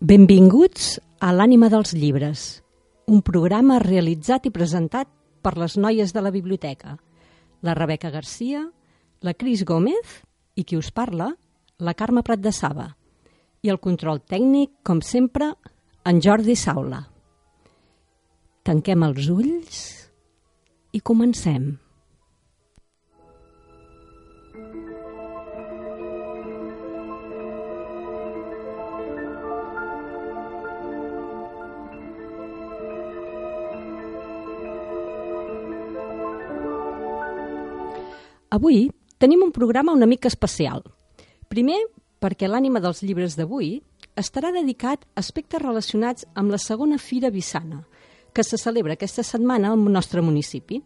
Benvinguts a l'Ànima dels llibres, un programa realitzat i presentat per les noies de la biblioteca, la Rebeca Garcia, la Cris Gómez i qui us parla, la Carme Prat de Saba, i el control tècnic, com sempre, en Jordi Saula. Tanquem els ulls i comencem. Avui tenim un programa una mica especial. Primer, perquè l'ànima dels llibres d'avui estarà dedicat a aspectes relacionats amb la segona Fira Vissana, que se celebra aquesta setmana al nostre municipi.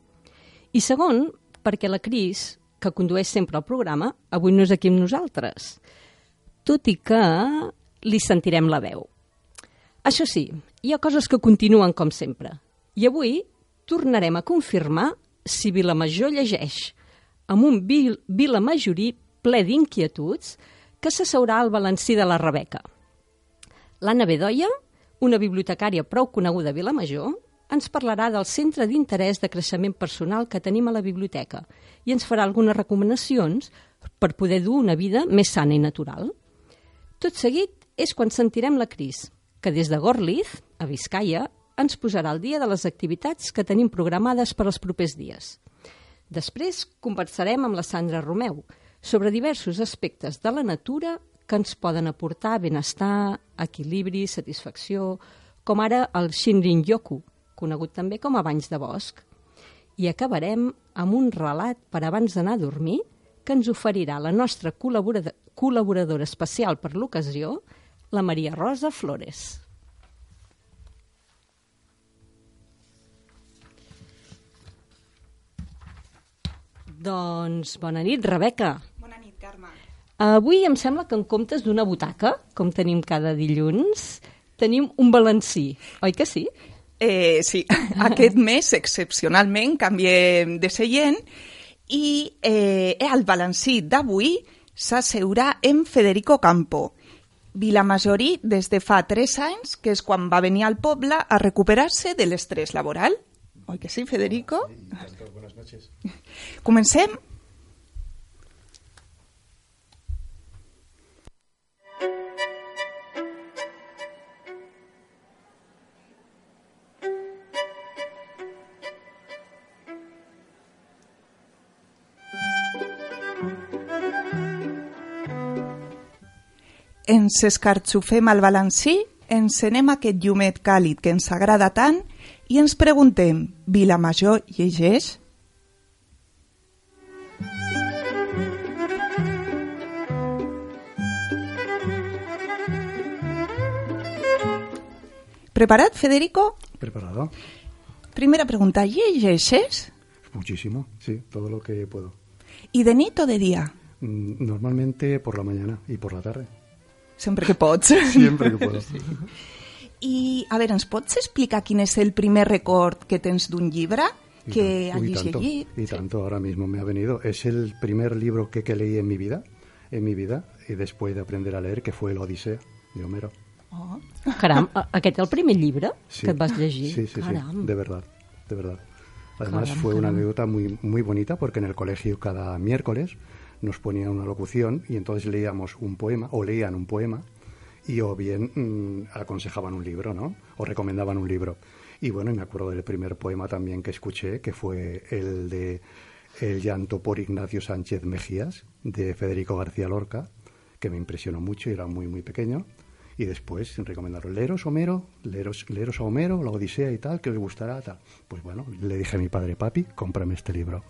I segon, perquè la Cris, que condueix sempre el programa, avui no és aquí amb nosaltres, tot i que li sentirem la veu. Això sí, hi ha coses que continuen com sempre. I avui tornarem a confirmar si Vilamajor llegeix, amb un vilamajorí ple d'inquietuds que s'asseurà al balancí de la Rebeca. L'Anna Bedoya, una bibliotecària prou coneguda a Vilamajor, ens parlarà del centre d'interès de creixement personal que tenim a la biblioteca i ens farà algunes recomanacions per poder dur una vida més sana i natural. Tot seguit és quan sentirem la Cris, que des de Gorliz, a Biscaia, ens posarà al dia de les activitats que tenim programades per als propers dies. Després conversarem amb la Sandra Romeu sobre diversos aspectes de la natura que ens poden aportar benestar, equilibri, satisfacció, com ara el Shinrin-yoku, conegut també com a banys de bosc. I acabarem amb un relat per abans d'anar a dormir que ens oferirà la nostra col·laboradora especial per l'ocasió, la Maria Rosa Flores. Doncs bona nit, Rebeca. Bona nit, Carme. Avui em sembla que en comptes d'una butaca, com tenim cada dilluns, tenim un balancí, oi que sí? Sí, aquest mes excepcionalment canviem de seient i el balancí d'avui s'asseurà en Federico Campo, vilamajorí des de fa 3 anys, que és quan va venir al poble a recuperar-se de l'estrès laboral. Oi que sí, Federico? Sí, buenas noches. Comencem? Ens escarxofem al balancí, encenem aquest llumet càlid que ens agrada tant i ens preguntem, Vilamajor llegeix? ¿Preparat, Federico? Preparado. Primera pregunta, ¿llegeixes? Muchísimo, sí, todo lo que puedo. ¿Y de nit o de día? Normalmente por la mañana y por la tarde. Sempre que pots. Siempre que puedo. Sí. I, a veure, ens pots explicar quin és el primer record que tens d'un llibre que hagis llegit? Y tanto, ahora mismo me ha venido. Es el primer libro que leí en mi vida, y después de aprender a leer, que fue la Odisea de Homero. Oh. Caram, aquest el primer llibre sí, que et vas llegir? Sí, de verdad. Además fue una anécdota muy, muy bonita porque en el colegio cada miércoles nos ponían una locución y entonces leíamos un poema, o leían un poema, y o bien aconsejaban un libro, ¿no? O recomendaban un libro. Y bueno, me acuerdo del primer poema también que escuché, que fue el de El llanto por Ignacio Sánchez Mejías, de Federico García Lorca, que me impresionó mucho y era muy, muy pequeño. Y después recomendaron, leeros a Homero, la Odisea y tal, que os gustará, tal. Pues bueno, le dije a mi padre, papi, cómprame este libro.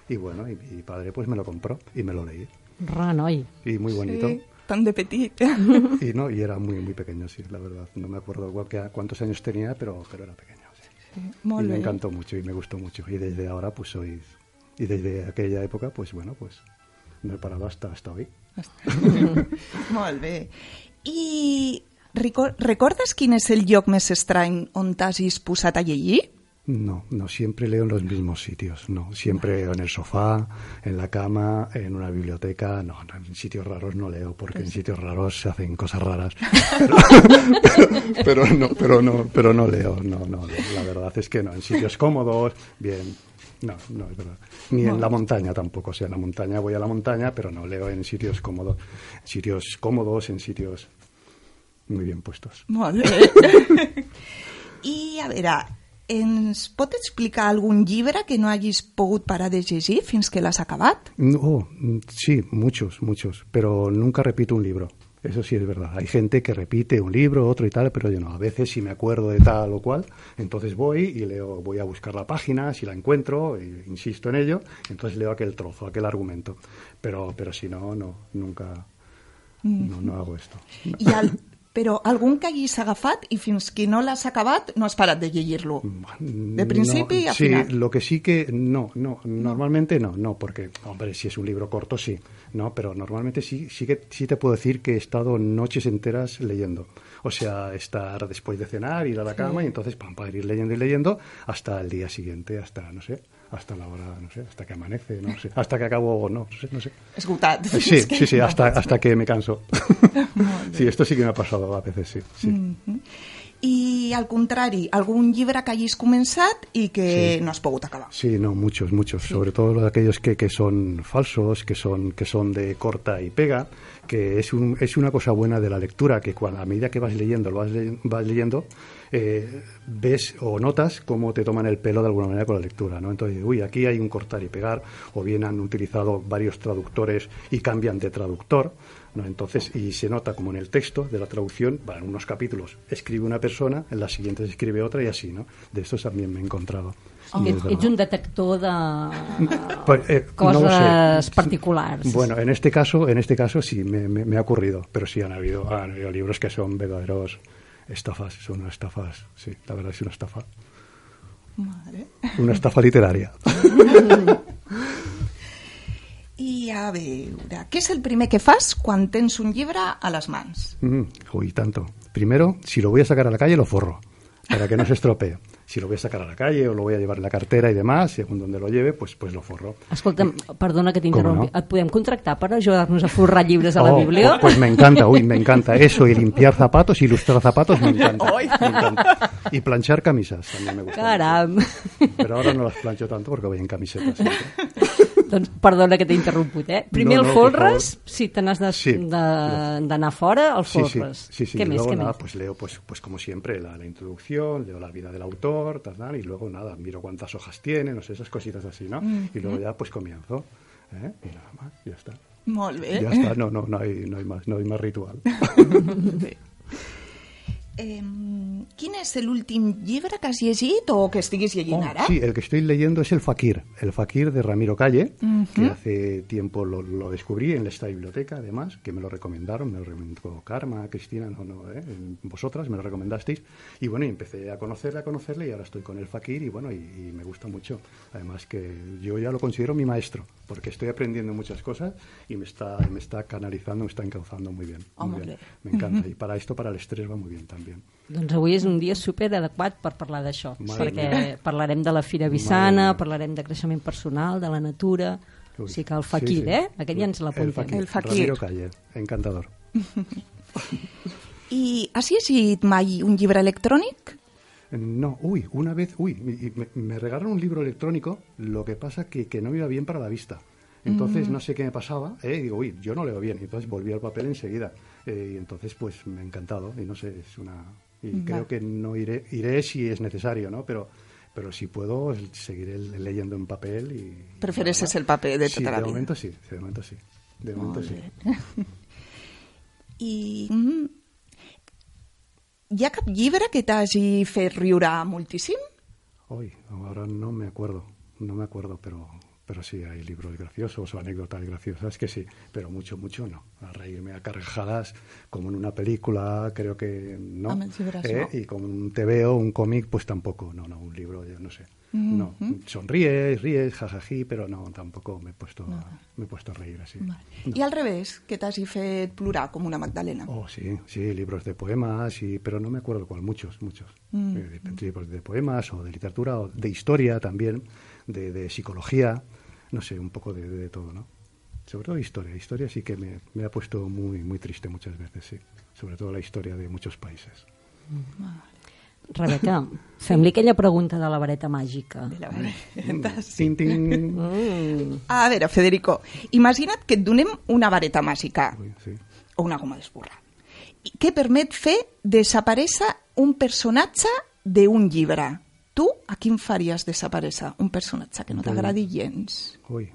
Y bueno, y mi padre pues me lo compró y me lo leí. Ranoi. Y muy bonito. Sí, tan de petit. Y era muy, muy pequeño, sí, la verdad. No me acuerdo cuántos años tenía, pero era pequeño. Sí. Sí, y me encantó mucho y me gustó mucho. Y desde ahora pues soy... Y desde aquella época, pues bueno, pues no he parado hasta hoy. Molt bé. I recordes quin és el lloc més estrany on t'hagis posat a llegir? No, siempre leo en los mismos sitios, no, siempre en el sofá, en la cama, en una biblioteca, no, en sitios raros no leo, porque en sitios raros se hacen cosas raras, pero no leo, no, la verdad es que no, en sitios cómodos, bien, no, es verdad, ni en la montaña tampoco, o sea, en la montaña voy a la montaña, pero no leo en sitios cómodos, en sitios muy bien puestos. Molt bé. I, a veure, ens pot explicar algun llibre que no hagis pogut parar de llegir fins que l'has acabat? No, sí, muchos, pero nunca repito un libro. Eso sí es verdad. Hay gente que repite un libro, otro y tal, pero yo no. A veces si me acuerdo de tal o cual, entonces voy y leo, voy a buscar la página, si la encuentro, insisto en ello, entonces leo aquel trozo, aquel argumento. Pero si no, nunca, no hago esto. Però algun que hagis agafat i fins que no l'has acabat no has parat de llegir-lo? De principi a final. Sí, lo que sí que normalmente no, porque, hombre, si es un libro corto sí, no, pero normalmente sí te puedo decir que he estado noches enteras leyendo. O sea, estar después de cenar, ir a la cama y entonces para ir leyendo hasta el día siguiente, hasta, no sé, hasta la hora, no sé, hasta que amanece, no sé, hasta que acabo, no sé. Esgotat. Sí, hasta que me canso. Sí, esto sí que me ha pasado a veces, sí. Mm-hmm. I, al contrari, algun llibre que hagis començat i que no has pogut acabar? Sí, no, muchos. Sí. Sobre todo aquellos que son falsos, que son de corta y pega, que es una cosa buena de la lectura, que a medida que vas leyendo, ves o notas cómo te toman el pelo de alguna manera con la lectura, ¿no? Entonces, aquí hay un cortar y pegar, o bien han utilizado varios traductores y cambian de traductor, ¿no? Entonces, y se nota como en el texto de la traducción, en unos capítulos escribe una persona, en las siguientes escribe otra y así, ¿no? De estos también me he encontrado. Ets un detector de coses particulars. Bueno, en este caso sí, me ha ocurrido, pero sí han habido libros que son verdaderos estafas, son unas estafas, sí, la verdad es una estafa. Madre. Una estafa literaria. I a veure, què és el primer que fas quan tens un llibre a les mans? Tanto. Primero, si lo voy a sacar a la calle, lo forro, para que no se estropee. Si lo voy a sacar a la calle o lo voy a llevar en la cartera y demás, según donde lo lleve, pues lo forro. Escolta'm, perdona que t'interrompi. No? Et podem contractar per ajudar-nos a forrar llibres a la Bíblia? Pues me encanta eso, y limpiar zapatos, ilustrar zapatos, me encanta. Y planchar camisas, también me gusta. Caram! Pero ahora no las plancho tanto porque voy en camiseta siempre. Doncs perdona que t'he interromput, Primer el folres, si te n'has d'anar fora, el folres. Sí. ¿Qué més? Luego pues leo, pues como siempre, la introducción, leo la vida del autor, y luego miro cuántas hojas tiene, no sé, esas cositas así, ¿no? Y luego ya pues comienzo, y nada más, ya está. Molt bé. Ya está, no hay más ritual. Bé. ¿Quién es el último llibre que has llegit o que estiguis llegint ara? Sí, el que estoy leyendo es El Fakir de Ramiro Calle, que hace tiempo lo descubrí en esta biblioteca, además, que me lo recomendaron, me lo recomendó Karma, Cristina, vosotras me lo recomendasteis, y bueno, y empecé a conocerle y ahora estoy con El Fakir y bueno, y me gusta mucho. Además que yo ya lo considero mi maestro, porque estoy aprendiendo muchas cosas y me está canalizando, me está encauzando muy bien. Muy bien. Me encanta, y para el estrés va muy bien también. Doncs avui és un dia superadequat per parlar d'això, perquè parlarem de la Fira Bissana, parlarem de creixement personal, de la natura, o sigui que el Fakir, Aquest ja ens l'apuntem. El Fakir. Ramiro Calle, encantador. I has llegit mai un llibre electrònic? No, una vez, me regalaron un libro electrónico, lo que pasa que no me iba bien para la vista. Entonces no sé qué me pasaba, digo, yo no leo bien, y entonces volví al papel enseguida. Y entonces pues me ha encantado, y no sé, creo que no iré si es necesario, ¿no? Pero si puedo, seguiré leyendo en papel. Y ¿Prefieres el papel de tota la vida? De momento sí. De momento sí. I hi ha cap llibre que t'hagi fet riure moltíssim? Ahora no me acuerdo, pero pero sí hay libros graciosos o anécdotas graciosas que sí, pero mucho no. A reírme a carcajadas, como en una película, creo que no. No. Y como un TVO, un cómic, pues tampoco. No, un libro, yo no sé. No, sonríes, ríes, jajají, pero no, tampoco me he puesto a reír así. Vale. No. I al revés, que t'hagi fet plorar com una Magdalena? Oh, sí, libros de poemas, pero no me acuerdo cuál, muchos. Libros de poemas o de literatura o de historia también, de psicología, no sé, un poco de todo, ¿no? Sobre todo historia. Historia sí que me ha puesto muy triste muchas veces, sí. Sobre todo la historia de muchos países. Rebeca, fem-li aquella pregunta de la vareta màgica. De la vareta, sí. Ting, ting. A veure, Federico, imagina't que et donem una vareta màgica, Sí. o una goma d'esborrar, que permet fer desaparèixer un personatge d'un llibre. Tu a quin faries desaparèixer? Un personatge que no t'agradi gens. Uy.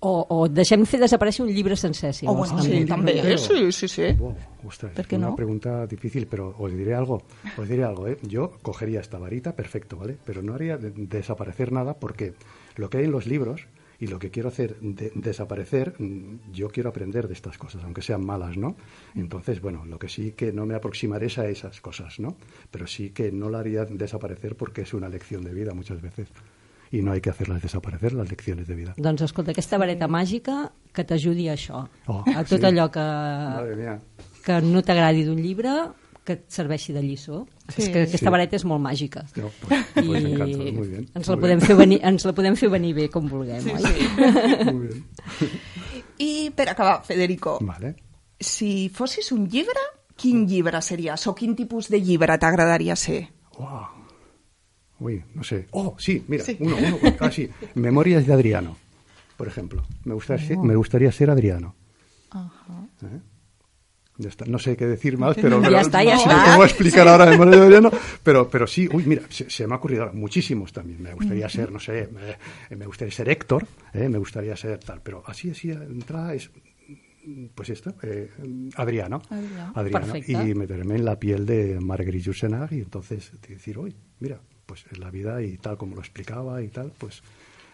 O deixem fer desaparèixer un llibre sencer, si vols. Bueno, sí, també. Sí. Wow, ostras, ¿Por qué es una no? pregunta difícil, pero os diré algo, ¿eh? Yo cogería esta varita, perfecto, ¿vale? Pero no haría desaparecer nada porque lo que hay en los libros y lo que quiero hacer desaparecer, yo quiero aprender de estas cosas, aunque sean malas, ¿no? Entonces, bueno, lo que sí que no me aproximaré es a esas cosas, ¿no? Pero sí que no la haría desaparecer porque es una lección de vida muchas veces. I no hay que hacerlas desaparecer, las lecciones de vida. Doncs escolta, aquesta vareta màgica que t'ajudi a això, a tot allò que no t'agradi d'un llibre, que et serveixi de lliçó. Sí. És que aquesta vareta és molt màgica. No, pues me encanta, muy bien. Ens la podem fer venir bé com vulguem, oi? Muy bien. I per acabar, Federico, Vale. si fossis un llibre, quin llibre series? O quin tipus de llibre t'agradaria ser? Wow. Uy, no sé. Oh, sí, mira, Sí. uno. Ah, sí. Memorias de Adriano, por ejemplo. Me gustaría ser Adriano. ¿Eh? Ya está. No sé qué decir más, pero Ya está. no te voy a explicar ahora Memorias de Adriano, pero sí. Uy, mira, se me ha ocurrido ahora muchísimos también. Me gustaría ser, no sé, me gustaría ser Héctor, me gustaría ser tal, pero así entrada es pues esto, Adriano. Perfecte. Y meterme en la piel de Marguerite Yourcenar y entonces decir, uy, mira, pues la vida y tal como lo explicaba y tal, pues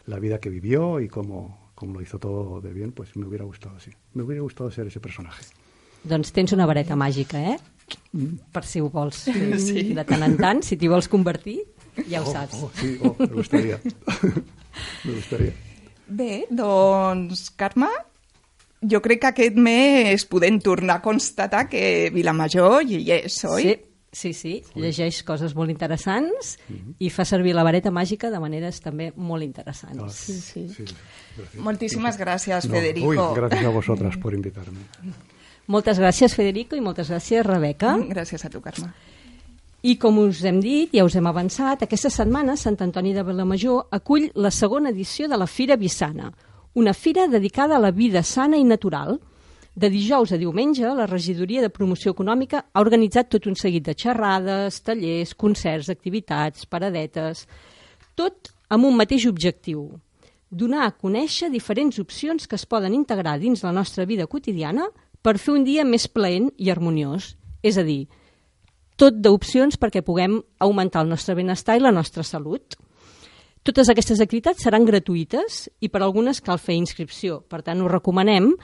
la vida que vivió y cómo lo hizo todo de bien, pues me hubiera gustado así. Me hubiera gustado ser ese personaje. Doncs tens una vareta màgica, per si ho vols fer de tant en tant, si t'hi vols convertir, ja ho saps. Sí, me gustaría. Me gustaría. Bé, doncs, Carme, jo crec que aquest mes podem tornar a constatar que Vilamajor hi és, oi? Sí. Llegeix coses molt interessants i fa servir la vareta màgica de maneres també molt interessants. Sí. Gracias. Moltíssimes gràcies, Federico. Uy, gracias a vosotras por invitarme. Moltes gràcies, Federico, i moltes gràcies, Rebeca. Gràcies a tu, Carme. I com us hem dit, ja us hem avançat, aquesta setmana Sant Antoni de Vilamajor acull la segona edició de la Fira Vissana, una fira dedicada a la vida sana i natural. De dijous a diumenge, la Regidoria de Promoció Econòmica ha organitzat tot un seguit de xerrades, tallers, concerts, activitats, paradetes, tot amb un mateix objectiu: donar a conèixer diferents opcions que es poden integrar dins la nostra vida quotidiana per fer un dia més plaent i harmoniós. És a dir, tot d'opcions perquè puguem augmentar el nostre benestar i la nostra salut. Totes aquestes activitats seran gratuïtes i per algunes cal fer inscripció. Per tant, us recomanem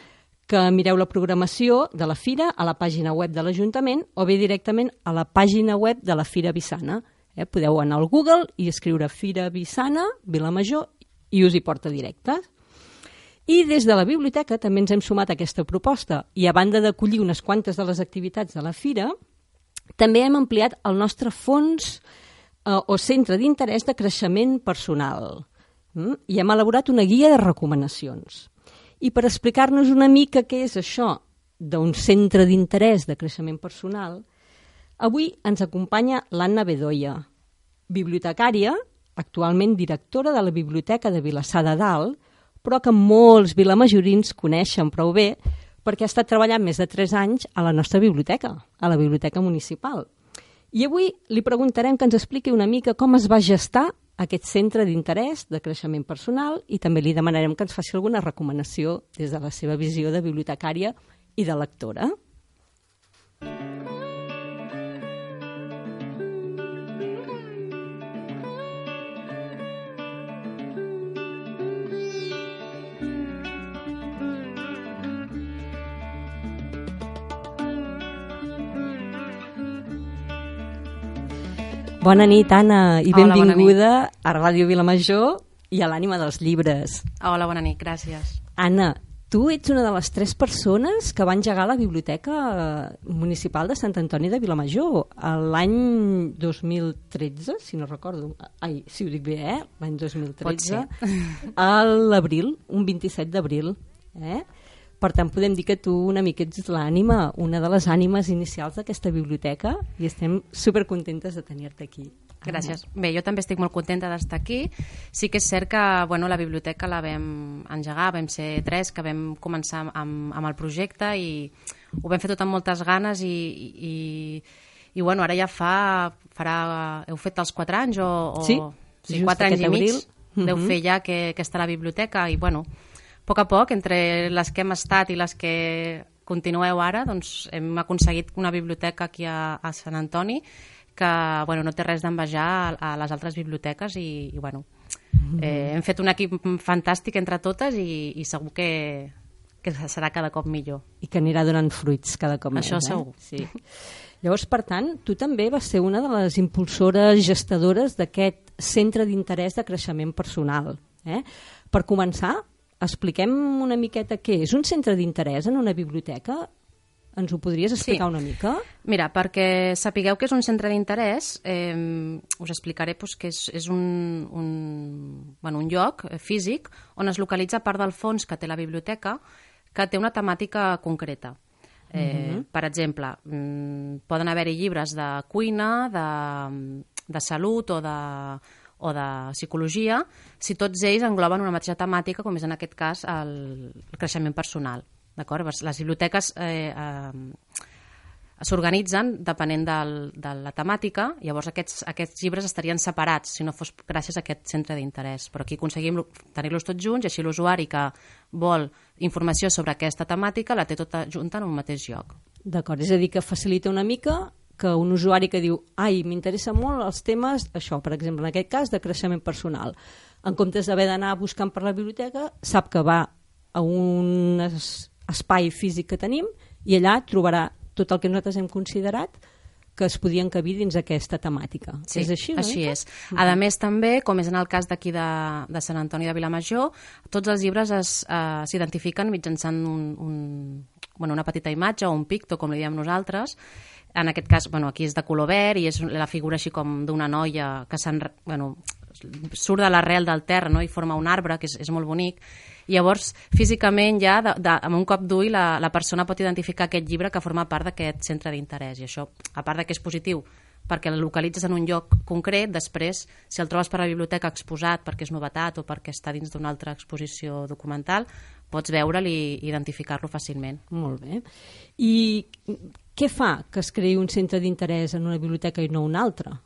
que mireu la programació de la fira a la pàgina web de l'Ajuntament o bé directament a la pàgina web de la Fira Vissana. Podeu anar al Google i escriure Fira Vissana, Vilamajor, i us hi porta directe. I des de la biblioteca també ens hem sumat a aquesta proposta i a banda d'acollir unes quantes de les activitats de la fira, també hem ampliat el nostre fons o centre d'interès de creixement personal i hem elaborat una guia de recomanacions. I per explicar-nos una mica què és això d'un centre d'interès de creixement personal, avui ens acompanya l'Anna Bedoya, bibliotecària, actualment directora de la Biblioteca de Vilassar de Dalt, però que molts vilamajorins coneixen prou bé perquè ha estat treballant més de 3 anys a la nostra biblioteca, a la Biblioteca Municipal. I avui li preguntarem que ens expliqui una mica com es va gestar aquest centre d'interès de creixement personal i també li demanarem que ens faci alguna recomanació des de la seva visió de bibliotecària i de lectora. Bona nit, Anna, i Hola, benvinguda a Ràdio Vilamajor i a l'Ànima dels Llibres. Hola, bona nit, gràcies. Anna, tu ets una de les 3 persones que va engegar la Biblioteca Municipal de Sant Antoni de Vilamajor l'any 2013, si no recordo. Ai, si ho dic bé, l'any 2013. A l'abril, un 27 d'abril. Per tant, podem dir que tu una mica ets l'ànima, una de les ànimes inicials d'aquesta biblioteca, i estem supercontentes de tenir-te aquí. Gràcies. Bé, jo també estic molt contenta d'estar aquí. Sí que és cert que la biblioteca la vam engegar, vam ser 3 que vam començar amb el projecte i ho vam fer tot amb moltes ganes i ara ja heu fet els 4 anys o sí, 4 anys i mig deu fer ja que està a la biblioteca i a poc, entre les que hem estat i les que continueu ara, doncs hem aconseguit una biblioteca aquí a Sant Antoni que no té res d'envejar a les altres biblioteques i hem fet un equip fantàstic entre totes i segur que serà cada cop millor. I que anirà donant fruits cada cop més. Això segur. Sí. Llavors, per tant, tu també vas ser una de les impulsores gestadores d'aquest centre d'interès de creixement personal. Per començar, expliquem una miqueta què és un centre d'interès en una biblioteca. Ens ho podries explicar una mica? Mira, perquè sapigueu que és un centre d'interès, us explicaré que és un lloc físic on es localitza part del fons que té la biblioteca que té una temàtica concreta. Per exemple, poden haver-hi llibres de cuina, de salut o de psicologia, si tots ells engloben una mateixa temàtica, com és en aquest cas el creixement personal. D'acord? Les biblioteques s'organitzen depenent de la temàtica, llavors aquests llibres estarien separats si no fos gràcies a aquest centre d'interès. Però aquí aconseguim tenir-los tots junts i així l'usuari que vol informació sobre aquesta temàtica la té tota junta en un mateix lloc. D'acord, és a dir, que facilita una mica que un usuari que diu m'interessa molt els temes, això, per exemple, en aquest cas, de creixement personal. En comptes d'haver d'anar buscant per la biblioteca, sap que va a un espai físic que tenim i allà trobarà tot el que nosaltres hem considerat que es podien encabir dins aquesta temàtica. Sí, és així, així és. A més, també, com és en el cas d'aquí de Sant Antoni de Vilamajor, tots els llibres s'identifiquen mitjançant una petita imatge o un picto, com li diem nosaltres. En aquest cas, aquí és de color verd i és la figura així com d'una noia que surt de l'arrel del terra i forma un arbre, que és molt bonic. I llavors, físicament, ja, amb un cop d'ull, la persona pot identificar aquest llibre que forma part d'aquest centre d'interès. I això, a part que és positiu, perquè el localitzes en un lloc concret, després, si el trobes per la biblioteca exposat perquè és novetat o perquè està dins d'una altra exposició documental, pots veure'l i identificar-lo fàcilment. Molt bé. I què fa que es creï un centre d'interès en una biblioteca i no una altra?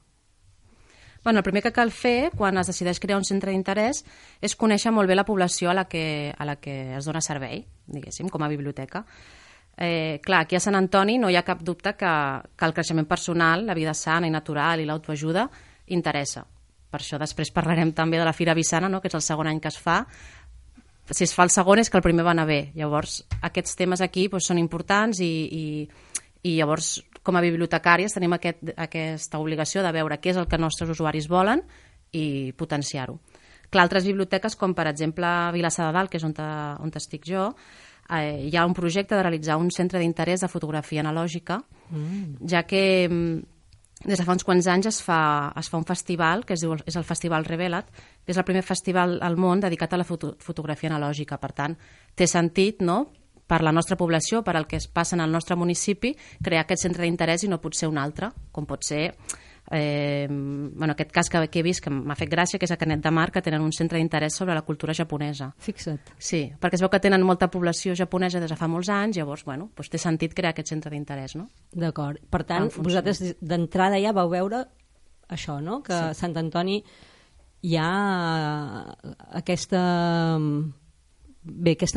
El primer que cal fer quan es decideix crear un centre d'interès és conèixer molt bé la població a la que es dona servei, diguéssim, com a biblioteca. Clar, aquí a Sant Antoni no hi ha cap dubte que el creixement personal, la vida sana i natural i l'autoajuda interessa. Per això després parlarem també de la Fira Vissana, que és el segon any que es fa. Si es fa el segon és que el primer va anar bé. Llavors, aquests temes aquí són importants i llavors, com a bibliotecàries, tenim aquesta obligació de veure què és el que els nostres usuaris volen i potenciar-ho. Clar, altres biblioteques, com per exemple Vilassar de Dalt, que és on estic jo, hi ha un projecte de realitzar un centre d'interès de fotografia analògica, ja que des de fa uns quants anys es fa un festival, que és el Festival Revelat, que és el primer festival al món dedicat a la fotografia analògica. Per tant, té sentit, per la nostra població, per al que es passa en el nostre municipi, crear aquest centre d'interès i no pot ser un altre, com pot ser aquest cas que he vist que m'ha fet gràcia, que és a Canet de Mar, que tenen un centre d'interès sobre la cultura japonesa. Fixa't. Sí, perquè es veu que tenen molta població japonesa des de fa molts anys, llavors, té sentit crear aquest centre d'interès, no? D'acord. Per tant, vosaltres d'entrada ja vau veure això, no? Que a Sant Antoni hi ha aquesta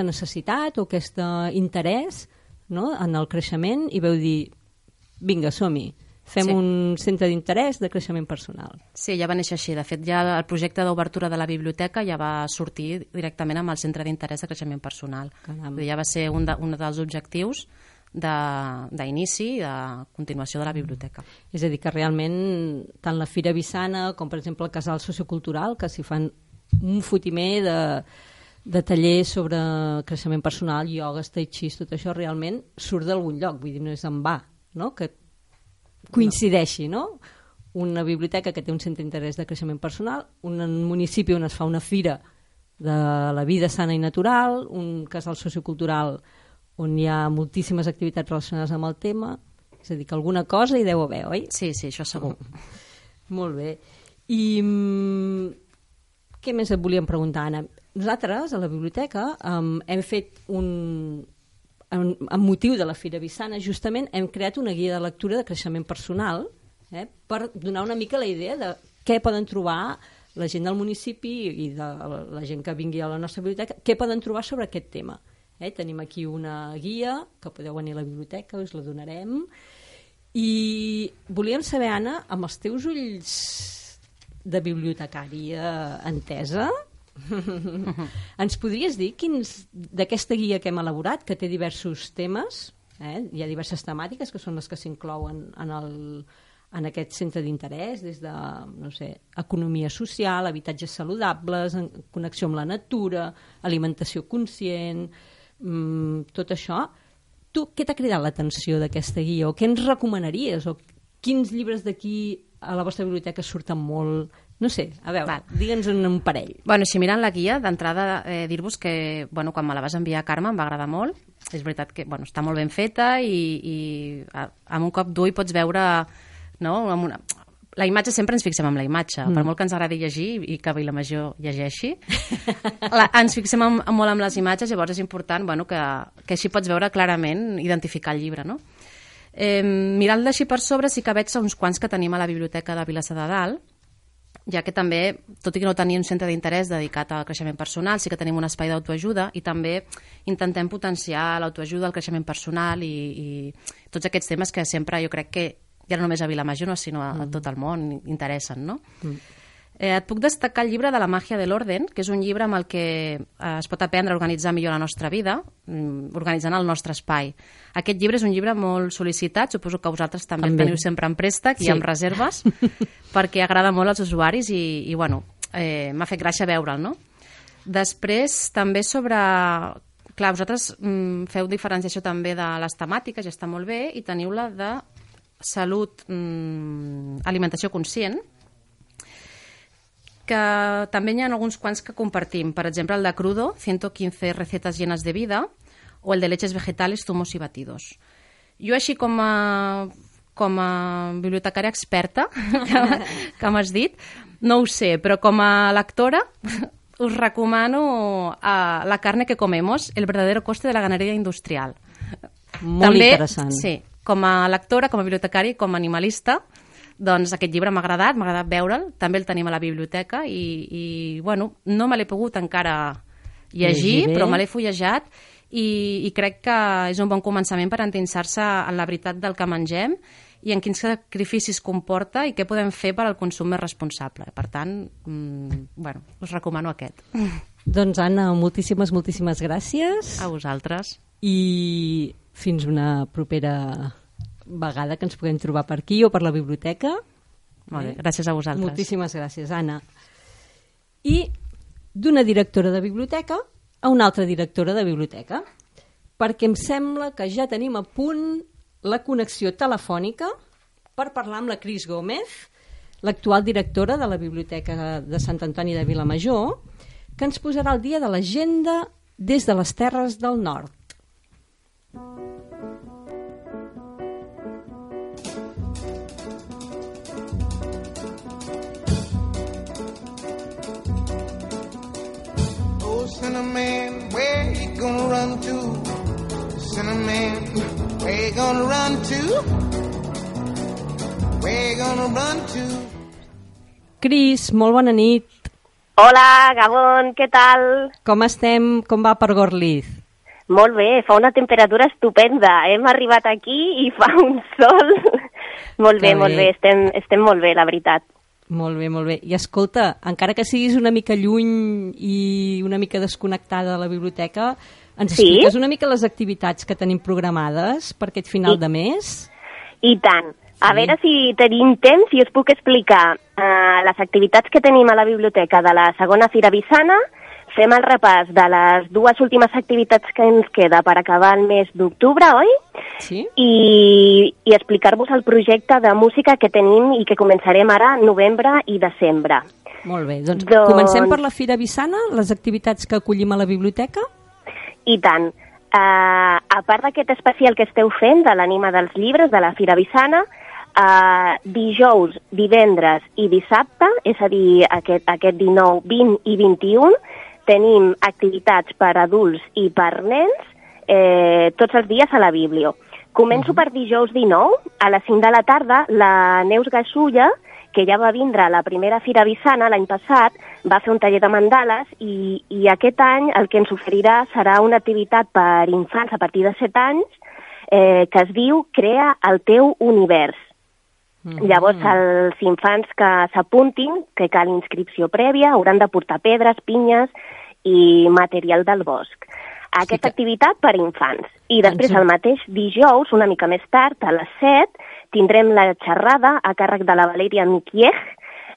necessitat o aquest interès en el creixement i vau dir, vinga, som-hi. Fem un centre d'interès de creixement personal. Sí, ja va néixer així. De fet, ja el projecte d'obertura de la biblioteca ja va sortir directament amb el centre d'interès de creixement personal. Ja va ser un dels objectius d'inici i de continuació de la biblioteca. És a dir, que realment tant la Fira Vissana com, per exemple, el Casal Sociocultural, que s'hi fan un fotimer de tallers sobre creixement personal, ioga, tai chi, tot això realment surt d'algun lloc, vull dir, no és en va, no? Que coincideixi, no? Una biblioteca que té un centre d'interès de creixement personal, un municipi on es fa una fira de la vida sana i natural, un casal sociocultural on hi ha moltíssimes activitats relacionades amb el tema, és a dir, que alguna cosa hi deu haver, oi? Sí, això segur. Molt bé. I què més et volíem preguntar, Anna? Nosaltres, a la biblioteca, hem fet amb motiu de la Fira Vissana, justament hem creat una guia de lectura de creixement personal, per donar una mica la idea de què poden trobar la gent del municipi i de la gent que vingui a la nostra biblioteca, què poden trobar sobre aquest tema. Tenim aquí una guia, que podeu venir a la biblioteca, us la donarem, i volíem saber, Anna, amb els teus ulls de bibliotecària entesa, ens podries dir quins d'aquesta guia que hem elaborat, que té diversos temes, hi ha diverses temàtiques que són les que s'inclouen en aquest centre d'interès, des de, no sé, economia social, habitatges saludables, connexió amb la natura, alimentació conscient, tot això. Tu, què t'ha cridat l'atenció d'aquesta guia? O què ens recomanaries? O quins llibres d'aquí a la vostra biblioteca surten molt? No sé, a veure, digue'ns un parell. Bueno, si mirant la guia, d'entrada dir-vos que quan me la vas enviar, Carme, em va agradar molt. És veritat que està molt ben feta i amb un cop d'ull pots veure... No? La imatge, sempre ens fixem en la imatge, per molt que ens agradi llegir i que Vilamajor llegeixi, ens fixem molt en les imatges, llavors és important que així pots veure clarament, identificar el llibre. No? Mirant-la així per sobre sí que veig uns quants que tenim a la biblioteca de Vilassar de Dalt, ja que també, tot i que no tenim un centre d'interès dedicat al creixement personal, sí que tenim un espai d'autoajuda i també intentem potenciar l'autoajuda, el creixement personal i tots aquests temes que sempre jo crec que ja no només a Vilamajor, sinó a tot el món, interessen, no? Et puc destacar el llibre de la màgia de l'orden, que és un llibre amb el que es pot aprendre a organitzar millor la nostra vida, organitzant el nostre espai. Aquest llibre és un llibre molt sol·licitat, suposo que vosaltres també el teniu sempre en préstec i amb reserves, perquè agrada molt als usuaris i m'ha fet gràcia veure'l, no? Després, també sobre... Clar, vosaltres feu diferenciació també de les temàtiques, ja està molt bé, i teniu la de salut, alimentació conscient, que també hi ha alguns quants que compartim. Per exemple, el de Crudo, 115 recetas llenas de vida, o el de leches vegetales, zumos y batidos. Jo així com a bibliotecària experta, que m'has dit, no ho sé, però com a lectora us recomano La carne que comemos, el verdadero coste de la ganadería industrial. Molt també, interessant. Sí, com a lectora, com a bibliotecària i com a animalista, doncs aquest llibre m'ha agradat veure'l, també el tenim a la biblioteca i no me l'he pogut encara llegir, però me l'he fullejat i crec que és un bon començament per endinsar-se en la veritat del que mengem i en quins sacrificis comporta i què podem fer per al consum més responsable. Per tant, us recomano aquest. Doncs, Anna, moltíssimes gràcies. A vosaltres. I fins una propera vegada que ens puguem trobar per aquí o per la biblioteca. Molt bé, gràcies a vosaltres. Moltíssimes gràcies, Anna. I d'una directora de biblioteca a una altra directora de biblioteca, perquè em sembla que ja tenim a punt la connexió telefònica per parlar amb la Cris Gómez, l'actual directora de la Biblioteca de Sant Antoni de Vilamajor, que ens posarà al dia de l'agenda des de les Terres del Nord. Oh, Cinnamon, where you gonna run to? Cinnamon, where you gonna run to? Where you gonna run to? Cris, molt bona nit. Hola, Gabon, què tal? Com estem? Com va per Gorliz? Molt bé, fa una temperatura estupenda. Hem arribat aquí i fa un sol. Molt bé, estem molt bé, la veritat. Molt bé. I escolta, encara que siguis una mica lluny i una mica desconnectada de la biblioteca, Ens expliques una mica les activitats que tenim programades per aquest final de mes? I tant. A veure si tenim temps i us puc explicar les activitats que tenim a la biblioteca de la segona Fira Vissana. Fem el repàs de les 2 últimes activitats que ens queda per acabar el mes d'octubre, oi? Sí. I explicar-vos el projecte de música que tenim i que començarem ara, novembre i desembre. Molt bé, doncs comencem per la Fira Vissana, les activitats que acollim a la biblioteca. I tant. A part d'aquest especial que esteu fent de l'Ànima dels Llibres de la Fira Vissana, dijous, divendres i dissabte, és a dir, aquest 19, 20 i 21, tenim activitats per adults i per nens tots els dies a la Biblio. Començo per dijous 19, a les 5 de la tarda, la Neus Gasulla, que ja va vindre a la primera Fira Vissana l'any passat, va fer un taller de mandales i aquest any el que ens oferirà serà una activitat per infants a partir de 7 anys que es diu Crea el teu univers. Llavors, els infants que s'apuntin, que cal inscripció prèvia, hauran de portar pedres, pinyes i material del bosc. Aquesta activitat per infants. I després, el mateix dijous, una mica més tard, a les 7, tindrem la xerrada a càrrec de la Valèria Miquiej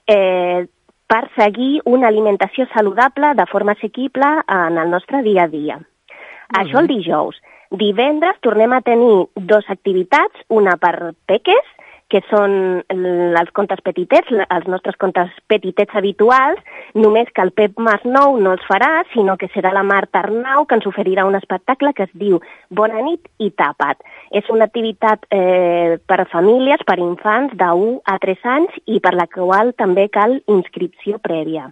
per seguir una alimentació saludable de forma assequible en el nostre dia a dia. Això el dijous. Divendres tornem a tenir 2 activitats, una per peques, que són els contes petitets, els nostres contes petitets habituals, només que el Pep Masnou no els farà, sinó que serà la Marta Arnau, que ens oferirà un espectacle que es diu Bona nit i tapa't. És una activitat per a famílies, per a infants de 1 a 3 anys i per la qual també cal inscripció prèvia.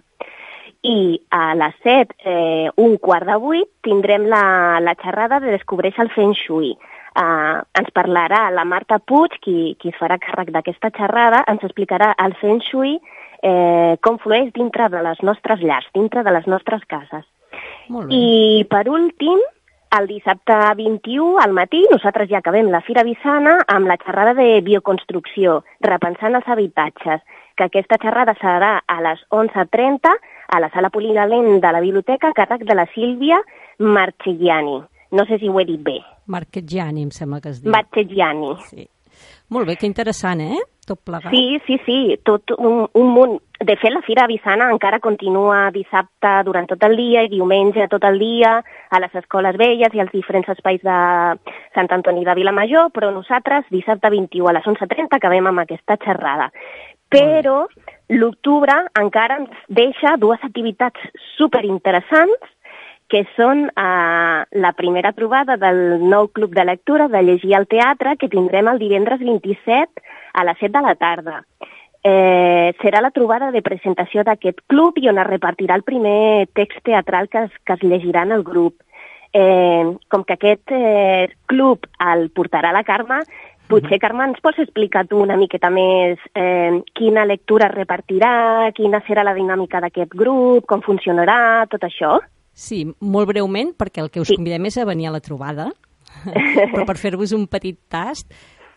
I a les 7, 7:15, tindrem la xerrada de Descobreix el Feng Shui. Ens parlarà la Marta Puig, qui es farà càrrec d'aquesta xerrada, ens explicarà el Feng Shui, com flueix dintre de les nostres llars, dintre de les nostres cases. I per últim, el dissabte 21 al matí, nosaltres ja acabem la Fira Vissana amb la xerrada de bioconstrucció, repensant els habitatges, que aquesta xerrada serà a les 11:30 a la sala polivalent de la biblioteca a càrrec de la Sílvia Marchegiani. No sé si ho he dit bé. Marchegiani, em sembla que es diu. Marchegiani. Sí. Molt bé, que interessant, tot plegat. Sí, tot un munt. De fet, la Fira Vissana encara continua dissabte durant tot el dia i diumenge tot el dia a les escoles velles i als diferents espais de Sant Antoni de Vilamajor, però nosaltres dissabte 21 a les 11:30 acabem amb aquesta xerrada. Però l'octubre encara ens deixa 2 activitats superinteressants que són la primera trobada del nou club de lectura de Llegir al Teatre, que tindrem el divendres 27 a les 7 de la tarda. Serà la trobada de presentació d'aquest club i on es repartirà el primer text teatral que es llegirà en el grup. Com que aquest club el portarà la Carme, potser, Carme, ens pots explicar tu una miqueta més quina lectura es repartirà, quina serà la dinàmica d'aquest grup, com funcionarà, tot això? Sí, molt breument, perquè el que us convidem és a venir a la trobada, però per fer-vos un petit tast,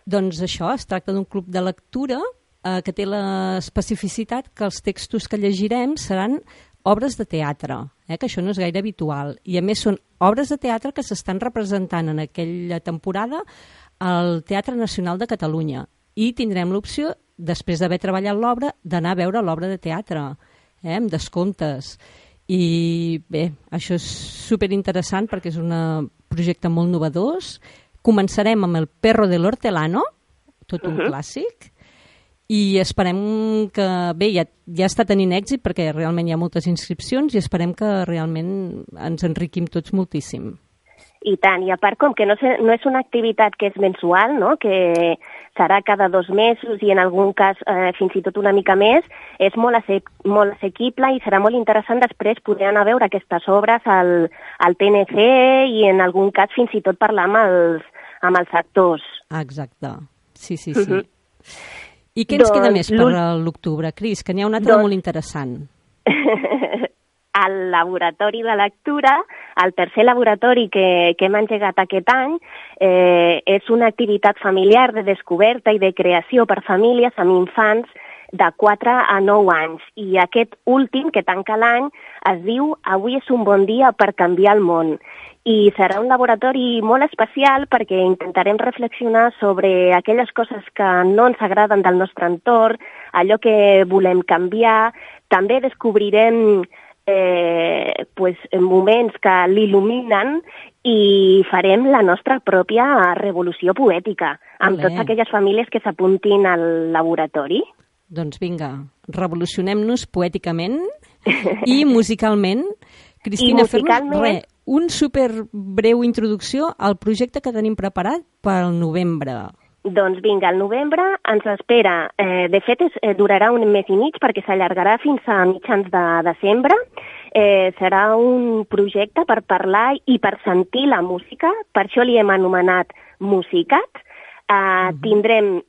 doncs això, es tracta d'un club de lectura que té l'especificitat que els textos que llegirem seran obres de teatre, que això no és gaire habitual, i a més són obres de teatre que s'estan representant en aquella temporada al Teatre Nacional de Catalunya, i tindrem l'opció, després d'haver treballat l'obra, d'anar a veure l'obra de teatre, amb descomptes. I bé, això és superinteressant perquè és un projecte molt novedós. Començarem amb el Perro del Hortelano, tot un clàssic, i esperem que, bé, ja està tenint èxit perquè realment hi ha moltes inscripcions i esperem que realment ens enriquim tots moltíssim. I tant, i a part, com que no és una activitat que és mensual, no? Que serà cada 2 mesos i en algun cas fins i tot una mica més, és molt assequible i serà molt interessant després poder anar a veure aquestes obres al TNC i en algun cas fins i tot parlar amb els actors. Exacte, sí. I què ens queda més per l'octubre, Cris? Que n'hi ha un altre molt interessant. Al laboratori de lectura, el tercer laboratori que hem engegat aquest any, és una activitat familiar de descoberta i de creació per famílies amb infants de 4 a 9 anys. I aquest últim, que tanca l'any, es diu Avui és un bon dia per canviar el món. I serà un laboratori molt especial perquè intentarem reflexionar sobre aquelles coses que no ens agraden del nostre entorn, allò que volem canviar. També descobrirem moments que l'il·luminen i farem la nostra pròpia revolució poètica amb totes aquelles famílies que s'apuntin al laboratori. Doncs vinga, revolucionem-nos poèticament i musicalment. Cristina, fem-nos un superbreu introducció al projecte que tenim preparat pel novembre. Doncs vinga, el novembre ens espera. De fet, durarà un mes i mig perquè s'allargarà fins a mitjans de desembre. Serà un projecte per parlar i per sentir la música, per això li hem anomenat Musicat. Tindrem,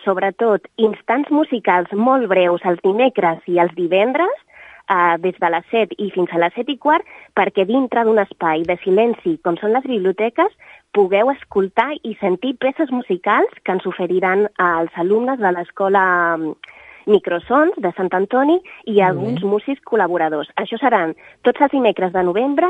sobretot, instants musicals molt breus els dimecres i els divendres, des de les 7 i fins a les 7:15, perquè dintre d'un espai de silenci, com són les biblioteques, pugueu escoltar i sentir peces musicals que ens oferiran als alumnes de l'escola Microsons de Sant Antoni i alguns músics col·laboradors. Això seran tots els dimecres de novembre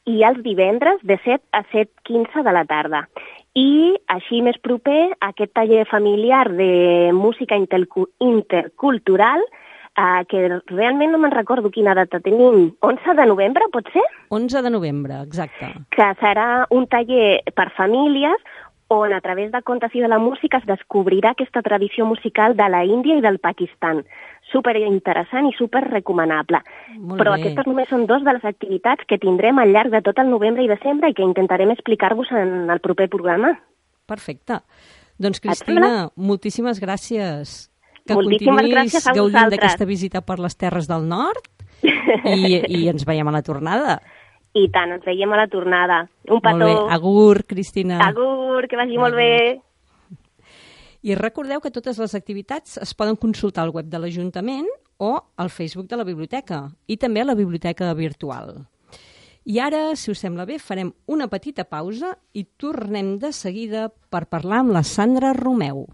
i els divendres de 7 a 7:15 de la tarda. I així més proper, aquest taller familiar de música intercultural, que realment no me'n recordo quina data tenim, 11 de novembre, pot ser? 11 de novembre, exacte. Que serà un taller per famílies on a través de contes i de la música es descobrirà aquesta tradició musical de la Índia i del Pakistan. Superinteressant i superrecomanable. Però aquestes només són 2 de les activitats que tindrem al llarg de tot el novembre i desembre i que intentarem explicar-vos en el proper programa. Perfecte. Doncs, Cristina, moltíssimes gràcies. Que moltíssimes gràcies a vosaltres. Gaudint d'aquesta visita per les Terres del Nord i ens veiem a la tornada. I tant, ens veiem a la tornada. Un petó. Molt bé. Agur, Cristina. Agur, que vagi molt bé. I recordeu que totes les activitats es poden consultar al web de l'Ajuntament o al Facebook de la biblioteca i també a la biblioteca virtual. I ara, si us sembla bé, farem una petita pausa i tornem de seguida per parlar amb la Sandra Romeu.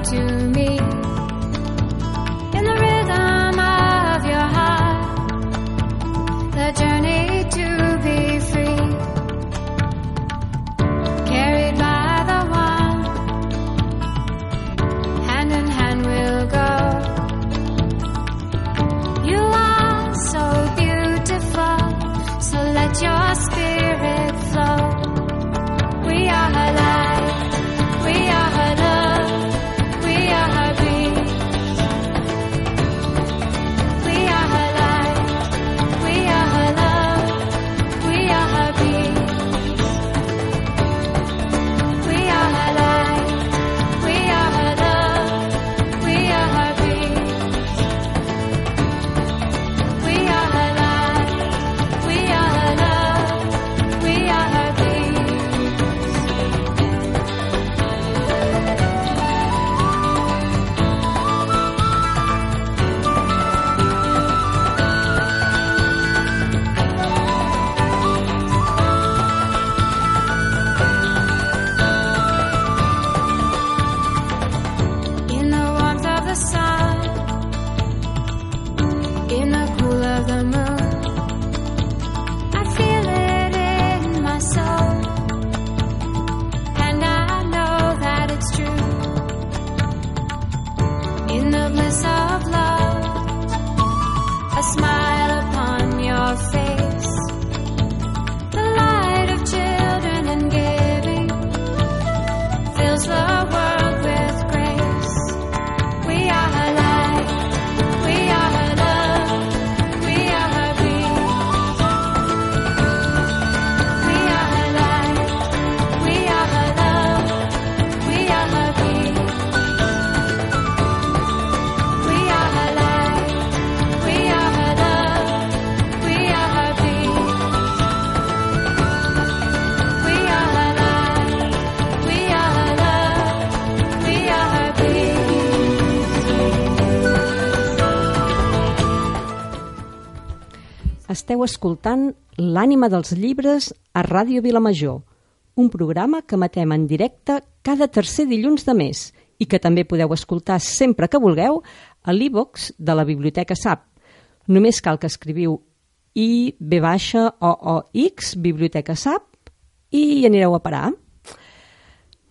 To me, in the rhythm of your heart, the journey to esteu escoltant L'ànima dels llibres a Ràdio Vilamajor, un programa que emetem en directe cada tercer dilluns de mes i que també podeu escoltar sempre que vulgueu a l'e-box de la Biblioteca SAP. Només cal que escriviu IBOOX, Biblioteca SAP, i hi anireu a parar.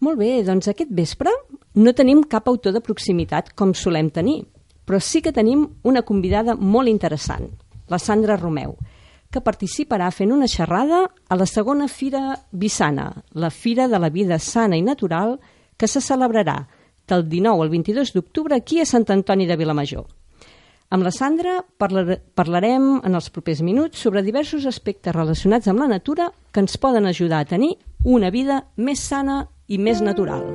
Molt bé, doncs aquest vespre no tenim cap autor de proximitat com solem tenir, però sí que tenim una convidada molt interessant, la Sandra Romeu, que participarà fent una xerrada a la segona Fira Vissana, la Fira de la Vida Sana i Natural, que se celebrarà del 19 al 22 d'octubre aquí a Sant Antoni de Vilamajor. Amb la Sandra parlarem en els propers minuts sobre diversos aspectes relacionats amb la natura que ens poden ajudar a tenir una vida més sana i més natural.